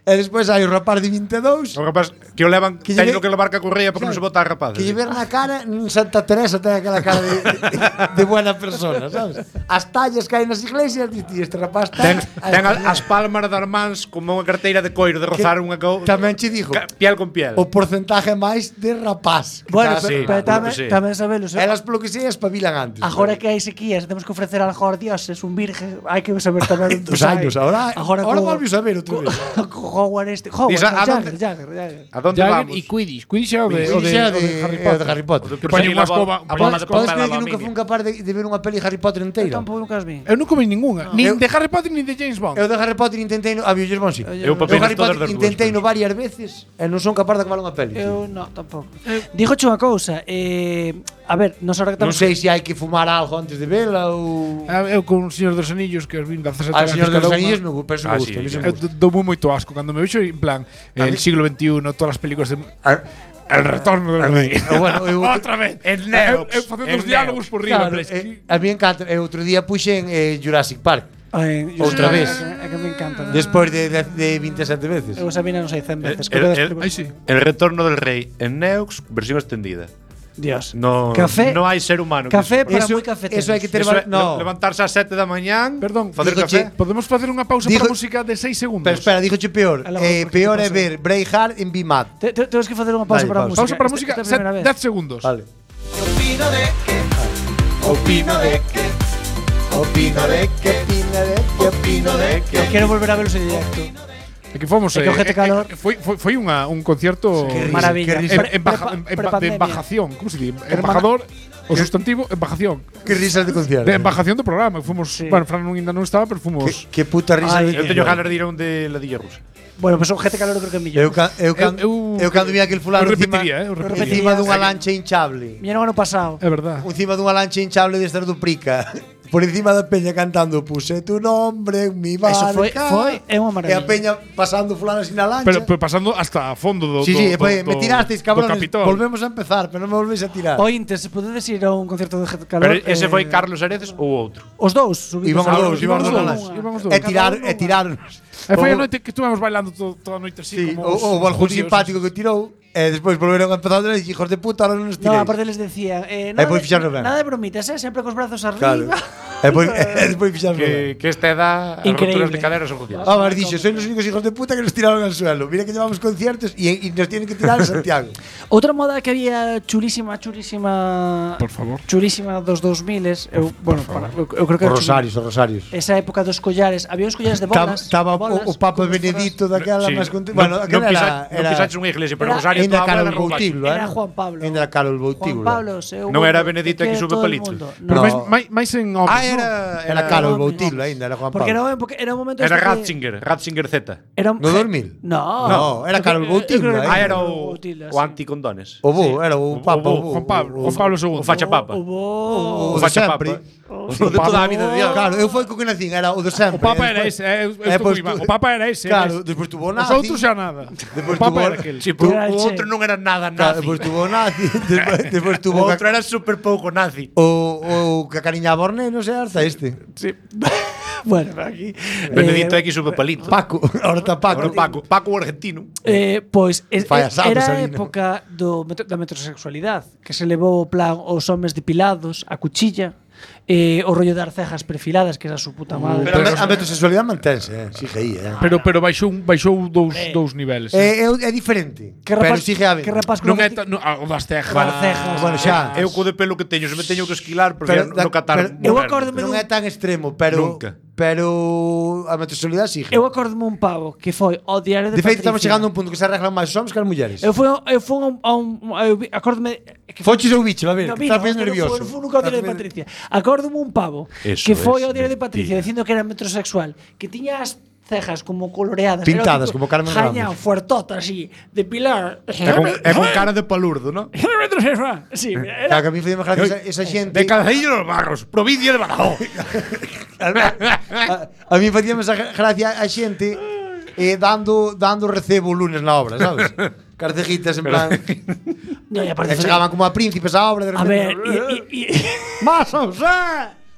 E despois hai o rapaz de 22. O rapaz que o levan, teño que levar ca correa porque non se bota a rapaz. Que lle ver na cara, Santa Teresa ten aquela cara de buena persona, sabes? As tallas que hai nas iglesias, este rapaz ten as palmas das mans como unha carteira de coiro de rozar unha tamén che digo, piel con piel. O porcentaje máis de rapaz. Bueno, pero tamén sabelo. Elas polo que sei espabilan antes. Agora que hai sequías, temos que ofrecer algo aos dioses, un virgen, hai que saber tamén dos anos. Agora volve a saber outra vez. Howard este. Howard, Jagger. A donde Jagger vamos? e Quidditch. Quidditch é o de Harry Potter. Que poñen unha escoba. Podes creer que nunca fui capaz de ver unha peli Harry Potter inteira? Eu tampouco nunca as vi. Eu nunca vi ninguna. Nin de Harry Potter nin de James Bond. Eu de Harry Potter intentei a James Bond, si. Eu Harry Potter intentei varias veces e non son capaz de acabar unha peli. Eu non, tampouco. Dígoche unha cousa, a ver, nos ahora que Non estamos sei se hai que fumar algo antes de vela ou Eu con o Señor dos Anillos que os vin 17 Al Señor dos cada unha. Anillos me gusta, sí, me Eu gusta. dou moito asco cando me vexo en plan el siglo XXI, todas as películas de El retorno del rei. Bueno, Outra vez. Eu facendo os diálogos por riba. Claro, a mí encanta. Outro día puxen Jurassic Park. Outra vez. É que me encanta. Despois de 27 veces. Eu Sabina non sei 100 veces. El retorno del rey en Neox, versión extendida. Dios. No, Café. no hai ser humano. Café para moi cafeteros. Eso hai que ter no. Levantarse ás 7 da mañán. Perdón, facer café. Podemos facer unha pausa para música de 6 segundos. Pero espera, dígoche peor. Peor é ver Braveheart en Bimat. Temos que facer unha pausa para a música. Pausa para a música, 10 segundos. Vale. Opino de que Opino de que Opino de que Opino de que Quero volver a velos en directo. É que fomos que ojete calor. Foi un concierto maravilla de embajación, como se di? Embajador, o sustantivo embajación. Que risas de concierto. De embajación do programa, fomos, bueno, Fran ainda non estaba, pero fomos. Que puta risa de. Eu teño ganas de ir a un de Ladilla Rusa. Bueno, pues ojete calor creo que é mellor. Eu cando vi aquel fulano repetiría, encima dunha lancha hinchable. Viñeron ano pasado. É verdad. Encima dunha lancha hinchable de estar do Prica. Por encima da peña cantando puse tu nombre en mi barca. Eso foi unha maravilla. E a peña pasando fulano así na lancha. Pero pasando hasta a fondo do Sí, me tirasteis, cabrones. Capitol. Volvemos a empezar, pero non me volvéis a tirar. Ointes, se podedes ir a un concerto de Ojete calor. Pero ese foi Carlos Areces ou outro? Os dous. Íbamos os dous. E tiraronnos. E foi a noite que estuvemos bailando toda a noite así. O algún simpático que tirou. E despois volveron a empezar a hijos de puta, ahora non nos tiréis. No, aparte les decían nada de bromitas, sempre cos brazos arriba. E despois fixaron que esta edad as roturas de cadera son jodidas. Mas dixo, sois os únicos hijos de puta que nos tiraron al suelo. Mira que llevamos conciertos e nos tienen que tirar en Santiago. Outra moda que había chulísima, por favor, chulísima dos 2000s, eu creo que os rosarios. Esa época dos collares, había uns collares de bolas. Estaba o Papa Benedito daquela máis bueno, aquela non pisaches unha iglesia, pero Rosario Ainda Carol Boutíbulo, era Juan Pablo. Ainda Carol Boutíbulo. Juan Pablo, non era Benedito que sube palito. Pero máis en homes. Era Carol Boutíbulo ainda, era Juan Pablo. Porque era un momento era Ratzinger Z. No 2000? No, era Carol Boutíbulo. Era o anticondones. O bo, era o Papa, Juan Pablo II. O facha papa. O facha papa. O de toda a vida de Dios. Claro, eu foi co que nacín, era o de sempre. O Papa era ese, o Papa era ese. Claro, despois tuvo nazi. Os outros xa nada. Despois o Papa era aquel. O outro non era nada nazi. Despois tuvo nazi, despois tuvo o outro era super pouco nazi. O que acariñaba os nenos é harta este. Sí. Bueno, aquí Benedito X sube palito. Paco, ahora está Paco. Paco argentino. Pois era a época da metrosexualidade, que se levou o plan os homes depilados, a cuchilla, o rollo das cejas perfiladas, que era a su puta madre. Pero a metrosexualidade mantense, sigue aí, Pero baixou dous niveles. É diferente. Pero sigue a ver. Non é o das cejas. Bueno, xa. Eu co de pelo que teño, se me teño que esquilar porque no catar. Eu acórdome non é tan extremo, pero a metrosexualidade sigue. Eu acórdome un pavo que foi ao diario de Patricia. De feito, estamos chegando a un punto que se arreglan máis os homens que as mulleres. Eu fui a un acórdome Foches ou bicho, a ver, estás ben nervioso. Foi nunca ao diario de Patricia. Acórdome un pavo que foi ao diario de Patricia dicindo que era metrosexual, que tiña as cejas como coloreadas, pintadas como Carmen Ramos. Jaña fuertota así, de pilar. É con cara de palurdo, ¿no? Sí, era. Que a mí foi gracia esa xente de Calceillo dos Barros, provincia de Badajoz. A mí facíame esa gracia a xente dando recebo lunes na obra, sabes? Carcejitas en plan. No, e aparte chegaban como a príncipes a obra de repente. A ver, ¡Más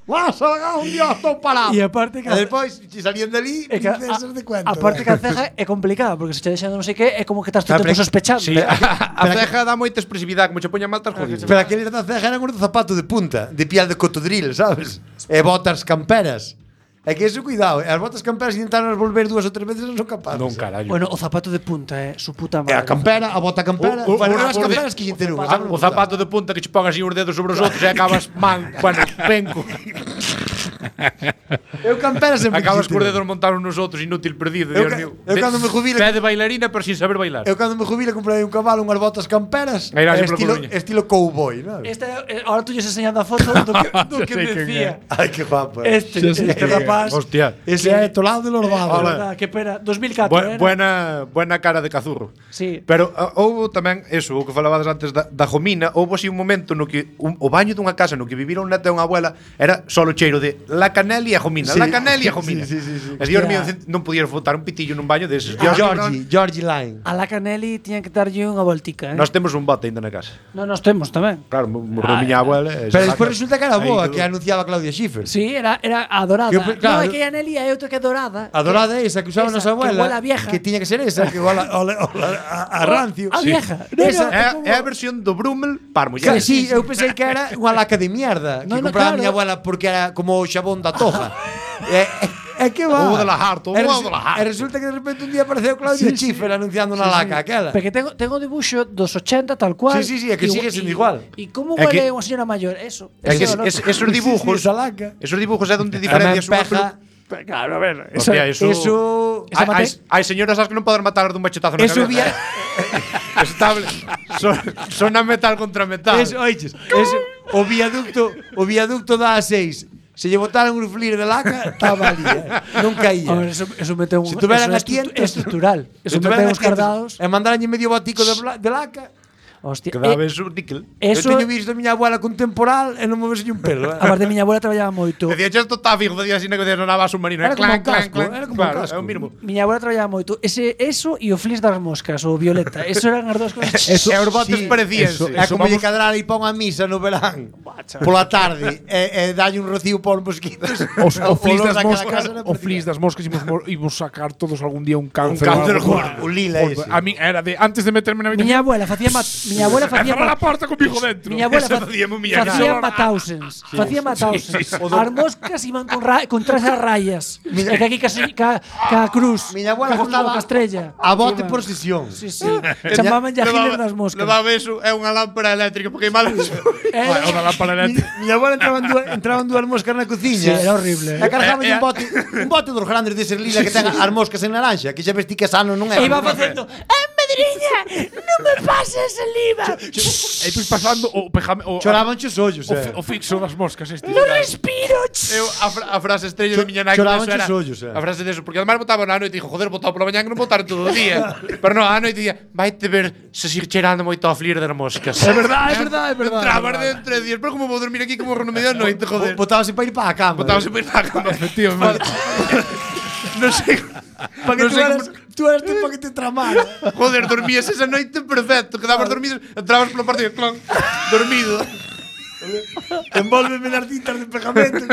¡Vas a ganar un dios todo parado! E aparte que despois salían dali princesas de cuento. Aparte que a ceja é complicada, porque se che deixando non sei que é como que estás todo tempo sospechando. Sí, a ceja dá moita expresividade, como che poña mal tas jodido. Pero aqueles da ceja eran os de zapato de punta, de piel de cotodril, sabes? E botas camperas. É que eso, cuidado, as botas camperas intentaron volver 2 ou 3 veces non son capaces. Non, carallo. Bueno, o zapato de punta é su puta madre. A campera, a bota campera, as camperas que xente non. O zapato de punta que che pongas así os dedos sobre os outros e acabas penco. Eu camperas sempre. Acabas cos dedos montados nos outros, inútil perdido, Dios mío. Eu cando me jubile, pé de bailarina, pero sin saber bailar. Eu cando me jubile comprei un cabalo, unhas botas camperas, estilo cowboy, ¿no? Ahora tú lles enseñando a foto do que me decía. Ai, que guapo. Este rapaz. Hostia. Ese é Tolado de Lorbado. Que pena, 2004. Buena cara de cazurro. Sí. Pero houve tamén eso, o que falabades antes da Jomina, houve así un momento no que o baño dunha casa no que vivira un neto e unha abuela era solo cheiro de la canela e a Jomina, la canela e a Jomina. Sí. E Dios mío, non podías botar un pitillo nun baño deses. Georgie Line. A la Canelli tiñan que darlle unha voltica, Nós temos un bote ainda na casa. Non, nós temos tamén. Claro, morreu miña abuela. Pero despois resulta que era boa, que anunciaba Claudia Schiffer. Sí, era a dorada. Claro. No, é que a Nelly é outra que é dorada. A dorada é esa que usaba nosa abuela. Que igual a vieja. Que tiña que ser esa, que igual a rancio. A vieja. É a versión do Brummel para mulleres. Sí, eu pensei que era unha laca de mierda que compraba a miña abuela porque era como o xabón da toja. É que va. O de la harto, o de la harto. E resulta que de repente un día apareceu Claudia Schiffer anunciando unha laca aquela. Porque tengo dibuixo dos 80 tal cual. Sí, é que sigue sendo igual. E como huele unha señora maior? Eso. É que esos dibujos, esos dibujos é onde diferencias unha. Claro, a ver. Eso hai señoras as que non poden matar dun machetazo na cabeza. Eso estable. Son a metal contra metal. Eso, oiches, o viaducto da A6. Se lle botaran un flir de laca, estaba ali, non caía. Eso meteu un... Se tuveran a tientos, estructural. Eso meteu uns cardados. E mandaranlle medio botico de laca. Hostia, quedaba eso níquel. Eu teño visto a miña abuela con temporal e non me vese un pelo. A parte, miña abuela traballaba moito. Decía, isto está fijo, decía así, que non nava submarino. Era como un casco, era como un casco. Miña abuela traballaba moito. Eso e o flis das moscas, o violeta. Eso eran as dúas cosas. E os botes parecíanse. É como lle cadrar e pon a misa no verán pola tarde e dalle un rocío por mosquitos. O flis das moscas imos sacar todos algún día un cáncer. Un lila ese. A mí era de antes de meterme na miña abuela facía la porta con hijo dentro. Miña abuela facía matausens. Facía matausens. As moscas iban con traxe a rayas. E que aquí ca cruz. Miña abuela facía a estrella. A bote por sesión. Sí. Chamaban ya giles das moscas. Levaba eso, é unha lámpara eléctrica porque hai mal. Unha lámpara eléctrica. Miña abuela entraban dúas moscas na cociña. Sí, era horrible. E cargaban un bote dos grandes de ser lila que ten as moscas en naranja, que xa vesti que sano non é. E iba facendo, madriña, non me pases el IVA. E pois pasando choraban os ollos, o fixo das moscas este. Non respiro. Eu a frase estrella de miña nai choraban os ollos, a frase deso, porque además botaba na noite e dixo, joder, botaba pola mañá que non botaron todo o día. Pero non, a noite día, vaite ver se seguir cheirando moito a flir das moscas. É verdade. Entrabas dentro e días, pero como vou dormir aquí como no medio da noite, joder. Botábase para ir para a cama. Efectivamente. Non sei. Tú eras tipo que te tramara. Joder, dormías esa noite perfecto. Quedabas dormido, entrabas pola parte de clon, dormido. Envólveme nas cintas de pegamento.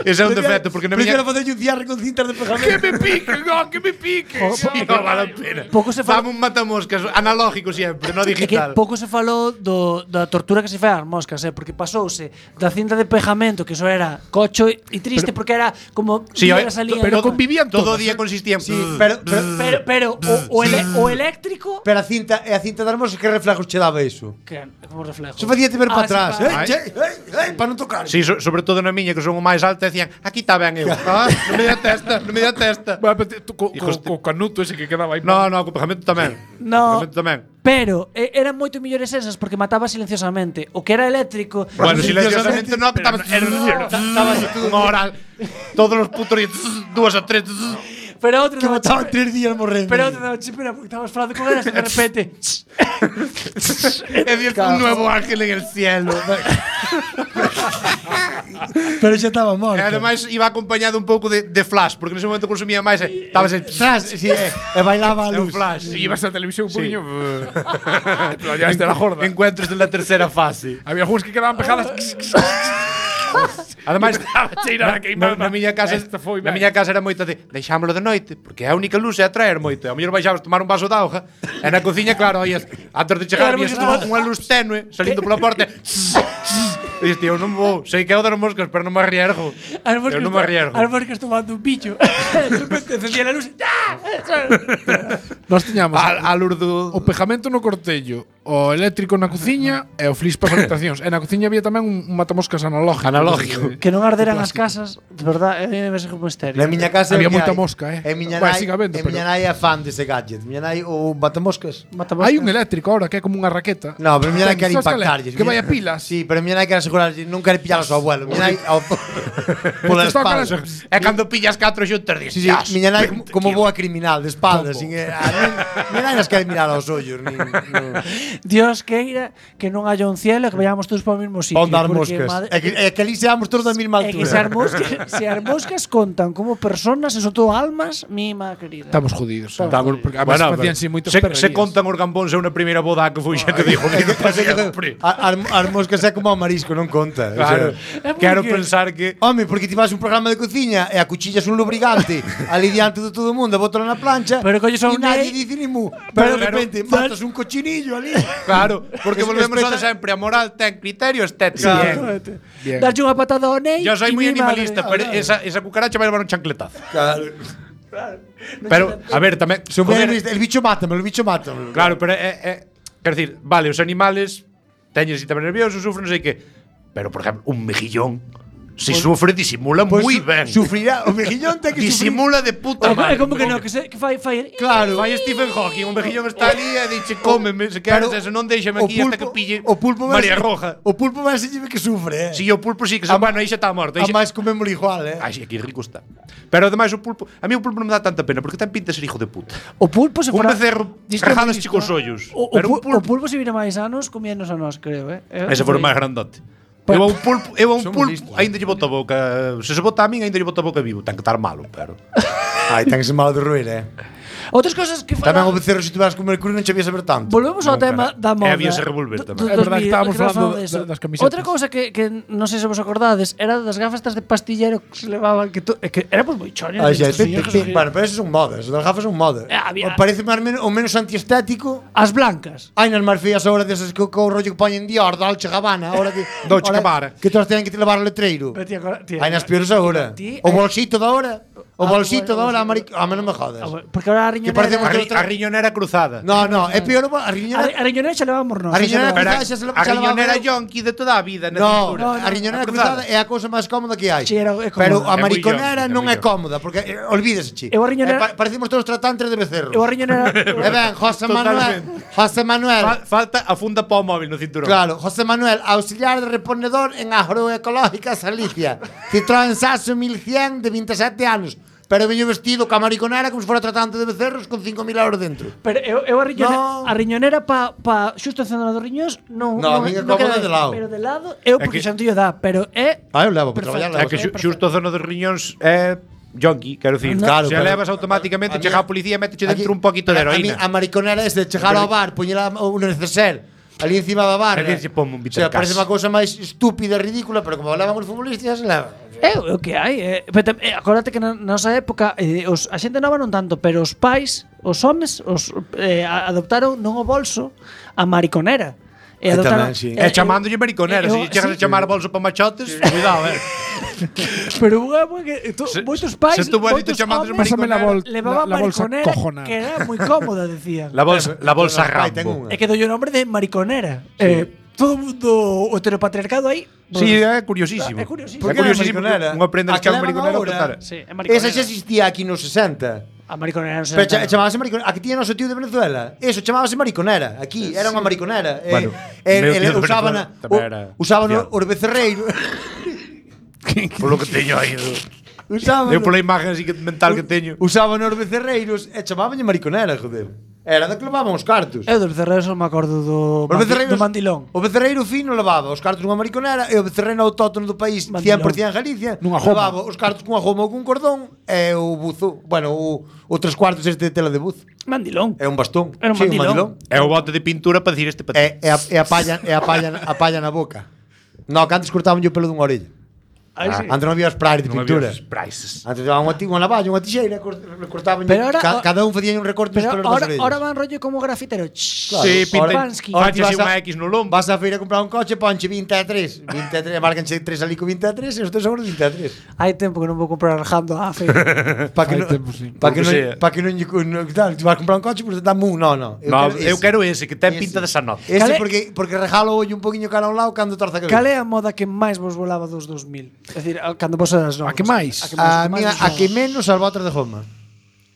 Ese é un defecto porque Prefiero facer un cierre con cintas de pegamento. Que me pique. Non vale a pena. Fame un matamoscas analógico sempre, non digital. Que pouco se falou da tortura que se fai ás moscas, porque pasouse da cinta de pegamento, que eso era cocho e triste porque era como pero convivían todo o día consistían. Pero o eléctrico. Pero a cinta das moscas que reflejos che daba iso? Como reflejo. Se facía te ver para atrás, para non tocar. Sí, sobre todo na miña que son o máis alto decían, aquí está ben eu. Non me dá testa. Co canuto ese que quedaba aí. No, co pegamento tamén. No. Pero eran moito millores esas porque mataba silenciosamente. O que era eléctrico. Bueno, silenciosamente no, estaba unha hora. Todos os putos 2 a 3. Pero outro que mataban 3 días morrendo. Pero outro daba chipera porque estabas falando con elas e de repente un nuevo ángel en el cielo. Pero xa estaba morto. E ademais iba acompañado un pouco de flash, porque nese momento consumía máis estabas en flash, e bailaba a luz. Flash. E ibas a televisión un poquinho. Ya está la jorda. Encuentros de la tercera fase. Había algúns que quedaban pegadas. Ademais, na miña casa era moito de deixámolo de noite, porque a única luz é atraer moito. A mellor baixabas tomar un vaso de auga, e na cociña, claro, oías, antes de chegar, vías unha luz tenue salindo pola porta. Dices, tío, non vou. Sei que é o das moscas, pero non me arriesgo. Eu non me arriesgo. As moscas tomando un bicho. De repente encendía la luz. Nós tiñamos a luz do... o pegamento no cortello, o eléctrico na cociña e o flis para as habitacións. E na cociña había tamén un matamoscas analógico. Que non arderan as casas, de verdade, debe ser como misterio. Na miña casa había moita mosca, miña nai é fan dese gadget. Miña nai o matamoscas. Hai un eléctrico ahora que é como unha raqueta. No, pero miña nai quere impactarlles. Que vai a pilas. Sí, pero miña nai quere asegurar, non quere pillar ao seu abuelo. Miña nai pola espalda. É cando pillas 4 xuntas dices. Sí, miña nai como boa criminal de espalda, sin miña nai nas quere mirar aos ollos, Dios queira que non haya un cielo e que vayamos todos para o mesmo sitio. Para dar moscas. É que ali seamos todos da mesma altura. É que se as moscas contan como personas e son todo almas, mima querida. Estamos jodidos. Estamos porque facíanse moitos perrerías. Se contan os gambóns é unha primeira boda que foi xente dijo que as moscas é como o marisco, non conta. Claro. Quero pensar que home, porque ti vas un programa de cociña e a cuchilla é un lubricante ali diante de todo o mundo, bótalo na plancha. Pero colles e nadie dice ni mu. Pero de repente matas un cochinillo ali. Claro, porque volvemos a sempre, a moral ten criterio estético. Darlle unha patada ao nei. Yo soy moi animalista, pero esa cucaracha vai levar un chancletazo. Claro. Pero, a ver, tamén el bicho mátame. Claro, pero quero dicir, vale, os animales teñen sistema nervioso, sufren, non sei que. Pero, por exemplo, un mejillón si sufre, disimula moi ben. Sufrirá, o mejillón ten que disimula de puta madre. É como que non, que fai claro, fai Stephen Hawking, un mejillón está ali e dixe, cómeme, se queres eso, non deixame aquí hasta que pille María Roja. O pulpo vai se que sufre, Si, o pulpo sí que se, bueno, aí xa está morto. A máis comémolo igual, Ai, sí, aquí rico está. Pero ademais o pulpo, a mí o pulpo non me dá tanta pena porque ten pinta de ser hijo de puta. O pulpo se fora un becerro rajadas chicos ollos. O pulpo se vira máis anos comíanos a nós, creo, Ese fora máis grandote. Eu a un pulpo, ainda lle bota a boca. Se se bota a min, ainda lle bota a boca vivo. Ten que estar malo, pero. Ai, ten que ser malo de roer, Outras cosas que tamén o becerro, se tivas comer cru non che vías saber tanto. Volvemos ao tema da moda. Había se revolver tamén. É verdade que estábamos falando das camisetas. Outra cousa que non sei se vos acordades era das gafas de pastillero que se levaban que éramos moi choñas. Bueno, pero esas son modas, as gafas son modas. Parece o menos antiestético as blancas. Hai nas máis feas ahora desas que o rollo que poñen Dior, Dolce Gabbana, ahora que Dolce Gabbana, que todas teñen que te levar o letreiro. Hai nas peores agora. O bolsito da hora. O bolsito da hora, a non me jodas. Porque ahora a riñonera cruzada. No, é peor a riñonera. A riñonera xa levamos nós. A riñonera cruzada xa se leva. A riñonera yonki de toda a vida na cintura. A riñonera cruzada é a cousa máis cómoda que hai. Pero a mariconera non é cómoda porque olvídese. Parecemos todos tratantes de becerros. Eu a riñonera. Ben, José Manuel. Falta a funda para o móvil no cinturón. Claro, José Manuel, auxiliar de reponedor en Agroecológica Galicia. Citroën Saxo 1100 de 27 anos. Pero veño vestido ca mariconera como se fora tratante de becerros con 5.000 euros dentro. Pero eu a riñonera pa xusto encendendo dos riñóns non é cómoda de lado. Pero de lado eu porque xa antillo dá, pero é eu levo para traballar. É que xusto a zona dos riñóns é yonki, quero dicir, se levas automáticamente chega a policía e méteche dentro un poquito de heroína. A mariconera é de chegar ao bar, poñela un neceser ali encima da barra. O sea, parece unha cousa máis estúpida e ridícula, pero como levan os futbolistas, leva. É o que hai. Acordate que na nosa época a xente nova non tanto, pero os pais, os homes, adoptaron non o bolso a mariconera. E chamándolle mariconera. Se chegas a chamar bolso para machotes, cuidado, Pero que moitos pais, moitos chamándose mariconera, levaban mariconera, que era moi cómoda, decían. La bolsa Rambo. É que doi o nombre de mariconera. Todo o mundo o heteropatriarcado aí. Sí, é curiosísimo. É curiosísimo. Unha prenda que chama mariconera. Esa xa existía aquí nos 60. A mariconera non se chamábase mariconera. Aquí tiña noso tío de Venezuela. Eso chamábase mariconera. Aquí era unha mariconera. Usaban os becerreiros. Polo que teño aí. Eu pola imagen así mental que teño. Usaban os becerreiros e chamábanlle mariconera, joder. Era da que levaban os cartos. Eu dos becerreiros non me acordo do mandilón. O becerreiro fino levaba os cartos nunha mariconera e o becerreiro autóctono do país 100% Galicia levaba os cartos cunha goma ou cun cordón e o buzo, bueno, o 3/4 este de tela de buzo. Mandilón. É un bastón. Era un mandilón. É o bote de pintura para dicir este E a palla na boca. No, que antes cortaban o pelo dunha orella. Antes non había spray de pintura. Antes daban unha navalla, unha tixeira, cortaban, cada un facía un recorte pelos dos orellas. Ahora van rollo como grafitero. Sí, pinchas unha X no lombo. Vas a feira a comprar un coche, ponche 23, marcanche 3 ali co 23 e os teus seguros 23. Hai tempo que non vou comprar rajando a feira. Para que non tal, vas a comprar un coche, pues dame un, no. Eu quero ese que ten pinta de sanote. Ese porque regalo ollo un poquinho cara a un lado cando torza a cabeza. Cal é a moda que máis vos volaba dos 2000? É dicir, cando vos eras novos. A que máis? A que menos as botas de goma.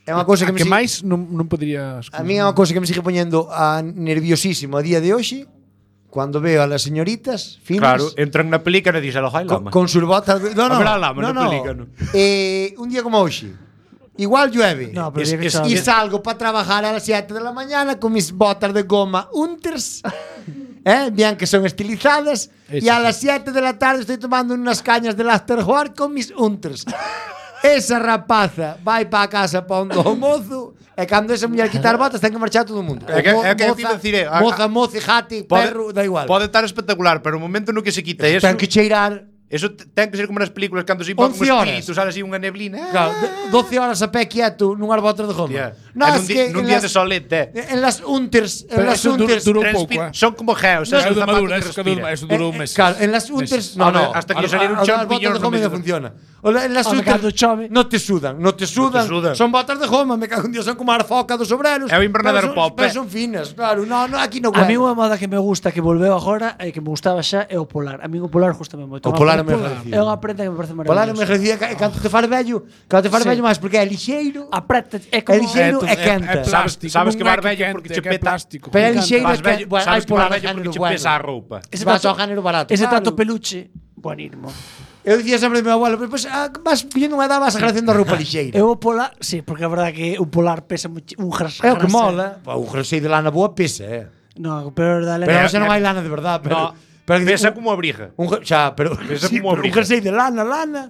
É unha cousa que me máis non poderías. A mí é unha cousa que me sigue poñendo nerviosísimo a día de hoxe. Cuando veo a las señoritas finas. Claro, entran na pelícana e dixen a lama. Con sus botas. No. Un día como hoxe. Igual llueve. No, y salgo para trabajar a las 7 de la mañana con mis botas de goma Unters. Bien que son estilizadas. Y a las 7 de la tarde estoy tomando unas cañas del Afterwork con mis Unters. Esa rapaza vai para a casa pondo o mozo. E cando esa muller quitar botas ten que marchar todo o mundo. Moza, jati, perro, da igual. Pode estar espectacular, pero o momento no que se quita eso. Ten que cheirar. Eso ten que ser como nas películas cando se iban con espíritus, sale así unha neblina. Claro, 12 horas a pé quieto nunhas botas de goma. Nun día de solete. En las Unters, durou pouco, son como geos, eso durou un mes. Claro, en las Unters, no, hasta que salieron champiñóns no me funciona. En las Unters no te sudan, son botas de goma, me cago en Dios, son como a foca dos obreros. É o invernadero pop. Pero son finas, claro, no, aquí no. A mí unha moda que me gusta que volveu agora e que me gustaba xa é o polar. A mí o polar gustame moito. É unha prenda que me parece maravillosa. Polar me agradecía cando te faz vello, máis porque é lixeiro. A preta é como lixeiro e quenta. Sabes que vas vello porque che peta plástico. Pero é lixeiro e vello, sabes que vas vello porque che pesa a roupa. Ese tato género barato. Ese tato peluche, buenísimo. Eu dicía sempre ao meu abuelo, pues vas collendo unha edad, vas agradecendo a roupa lixeira. Eu o polar, sí, porque a verdade que o polar pesa un jersey. É o que mola. Un jersey de lana boa pesa, No, pero xa non hai lana de verdade, pero pesa como abriga. Pesa como abriga. Un jersey de lana.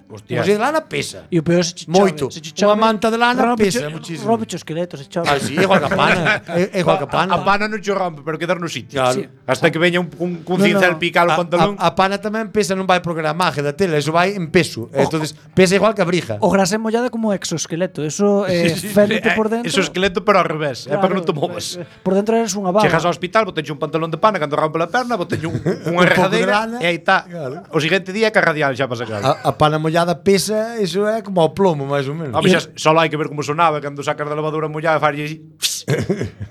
Hostia. Un jersey de lana pesa. E o peor se moito. Unha manta de lana pesa muchísimo. Rompe os esqueletos, se chove. Ah, sí, é igual que a pana. É igual que a pana. A pana non che rompe, pero quedar no sitio. Hasta que veña un cincel picar o pantalón. A pana tamén pesa, non vai por gramaje da tela, eso vai en peso. Entonces pesa igual que a briga. O grasa mollada como exoesqueleto, eso férrete por dentro. Eso esqueleto pero ao revés, é para que non te movas. Por dentro eres unha bala. Chegas ao hospital, boteche un pantalón de pana, cando rompe a perna, boteche unha rejadeira. E aí está. Claro. O seguinte día que a radial xa para sacar. A pana mollada pesa, eso é como o plomo, máis ou menos. Só hai que ver como sonaba cando sacas da lavadora mollada e farías así.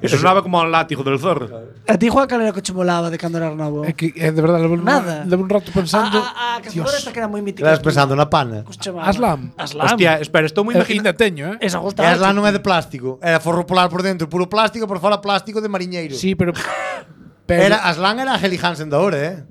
Eso sonaba como un látigo del zorro. A ti, Juan, cal era o que che molaba de cando eras novo? É que, de verdade, levo un rato pensando. A cazadora esta que era moi mítica. Estás pensando na pana. Aslam. Hostia, espera, estou moi Ainda imaginando. teño, Esa gusta. Aslam non é de plástico. Era forro polar por dentro, puro plástico, por fora plástico de mariñeiro. Sí, pero Aslam era a Heli Hansen da hora,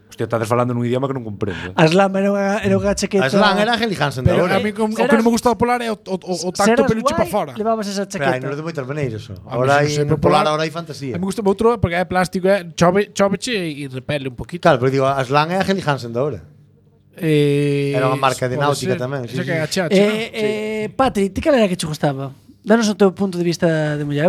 Hostia, estás falando nun idioma que non comprendo. Aslam era unha chaqueta. Aslam era a Heli Hansen da hora. A mí o que non me gusta do polar é o tacto peluche para fora. Levabas esa chaqueta. Pero non é de moitas maneiras. Ahora hai polar, ahora hai fantasía. A mí gusta outro porque é plástico, choveche e repele un poquito. Claro, pero digo, Aslam é a Heli Hansen da hora. Era unha marca de náutica tamén. Patri, ti cal era que che gustaba? Danos o teu punto de vista de muller.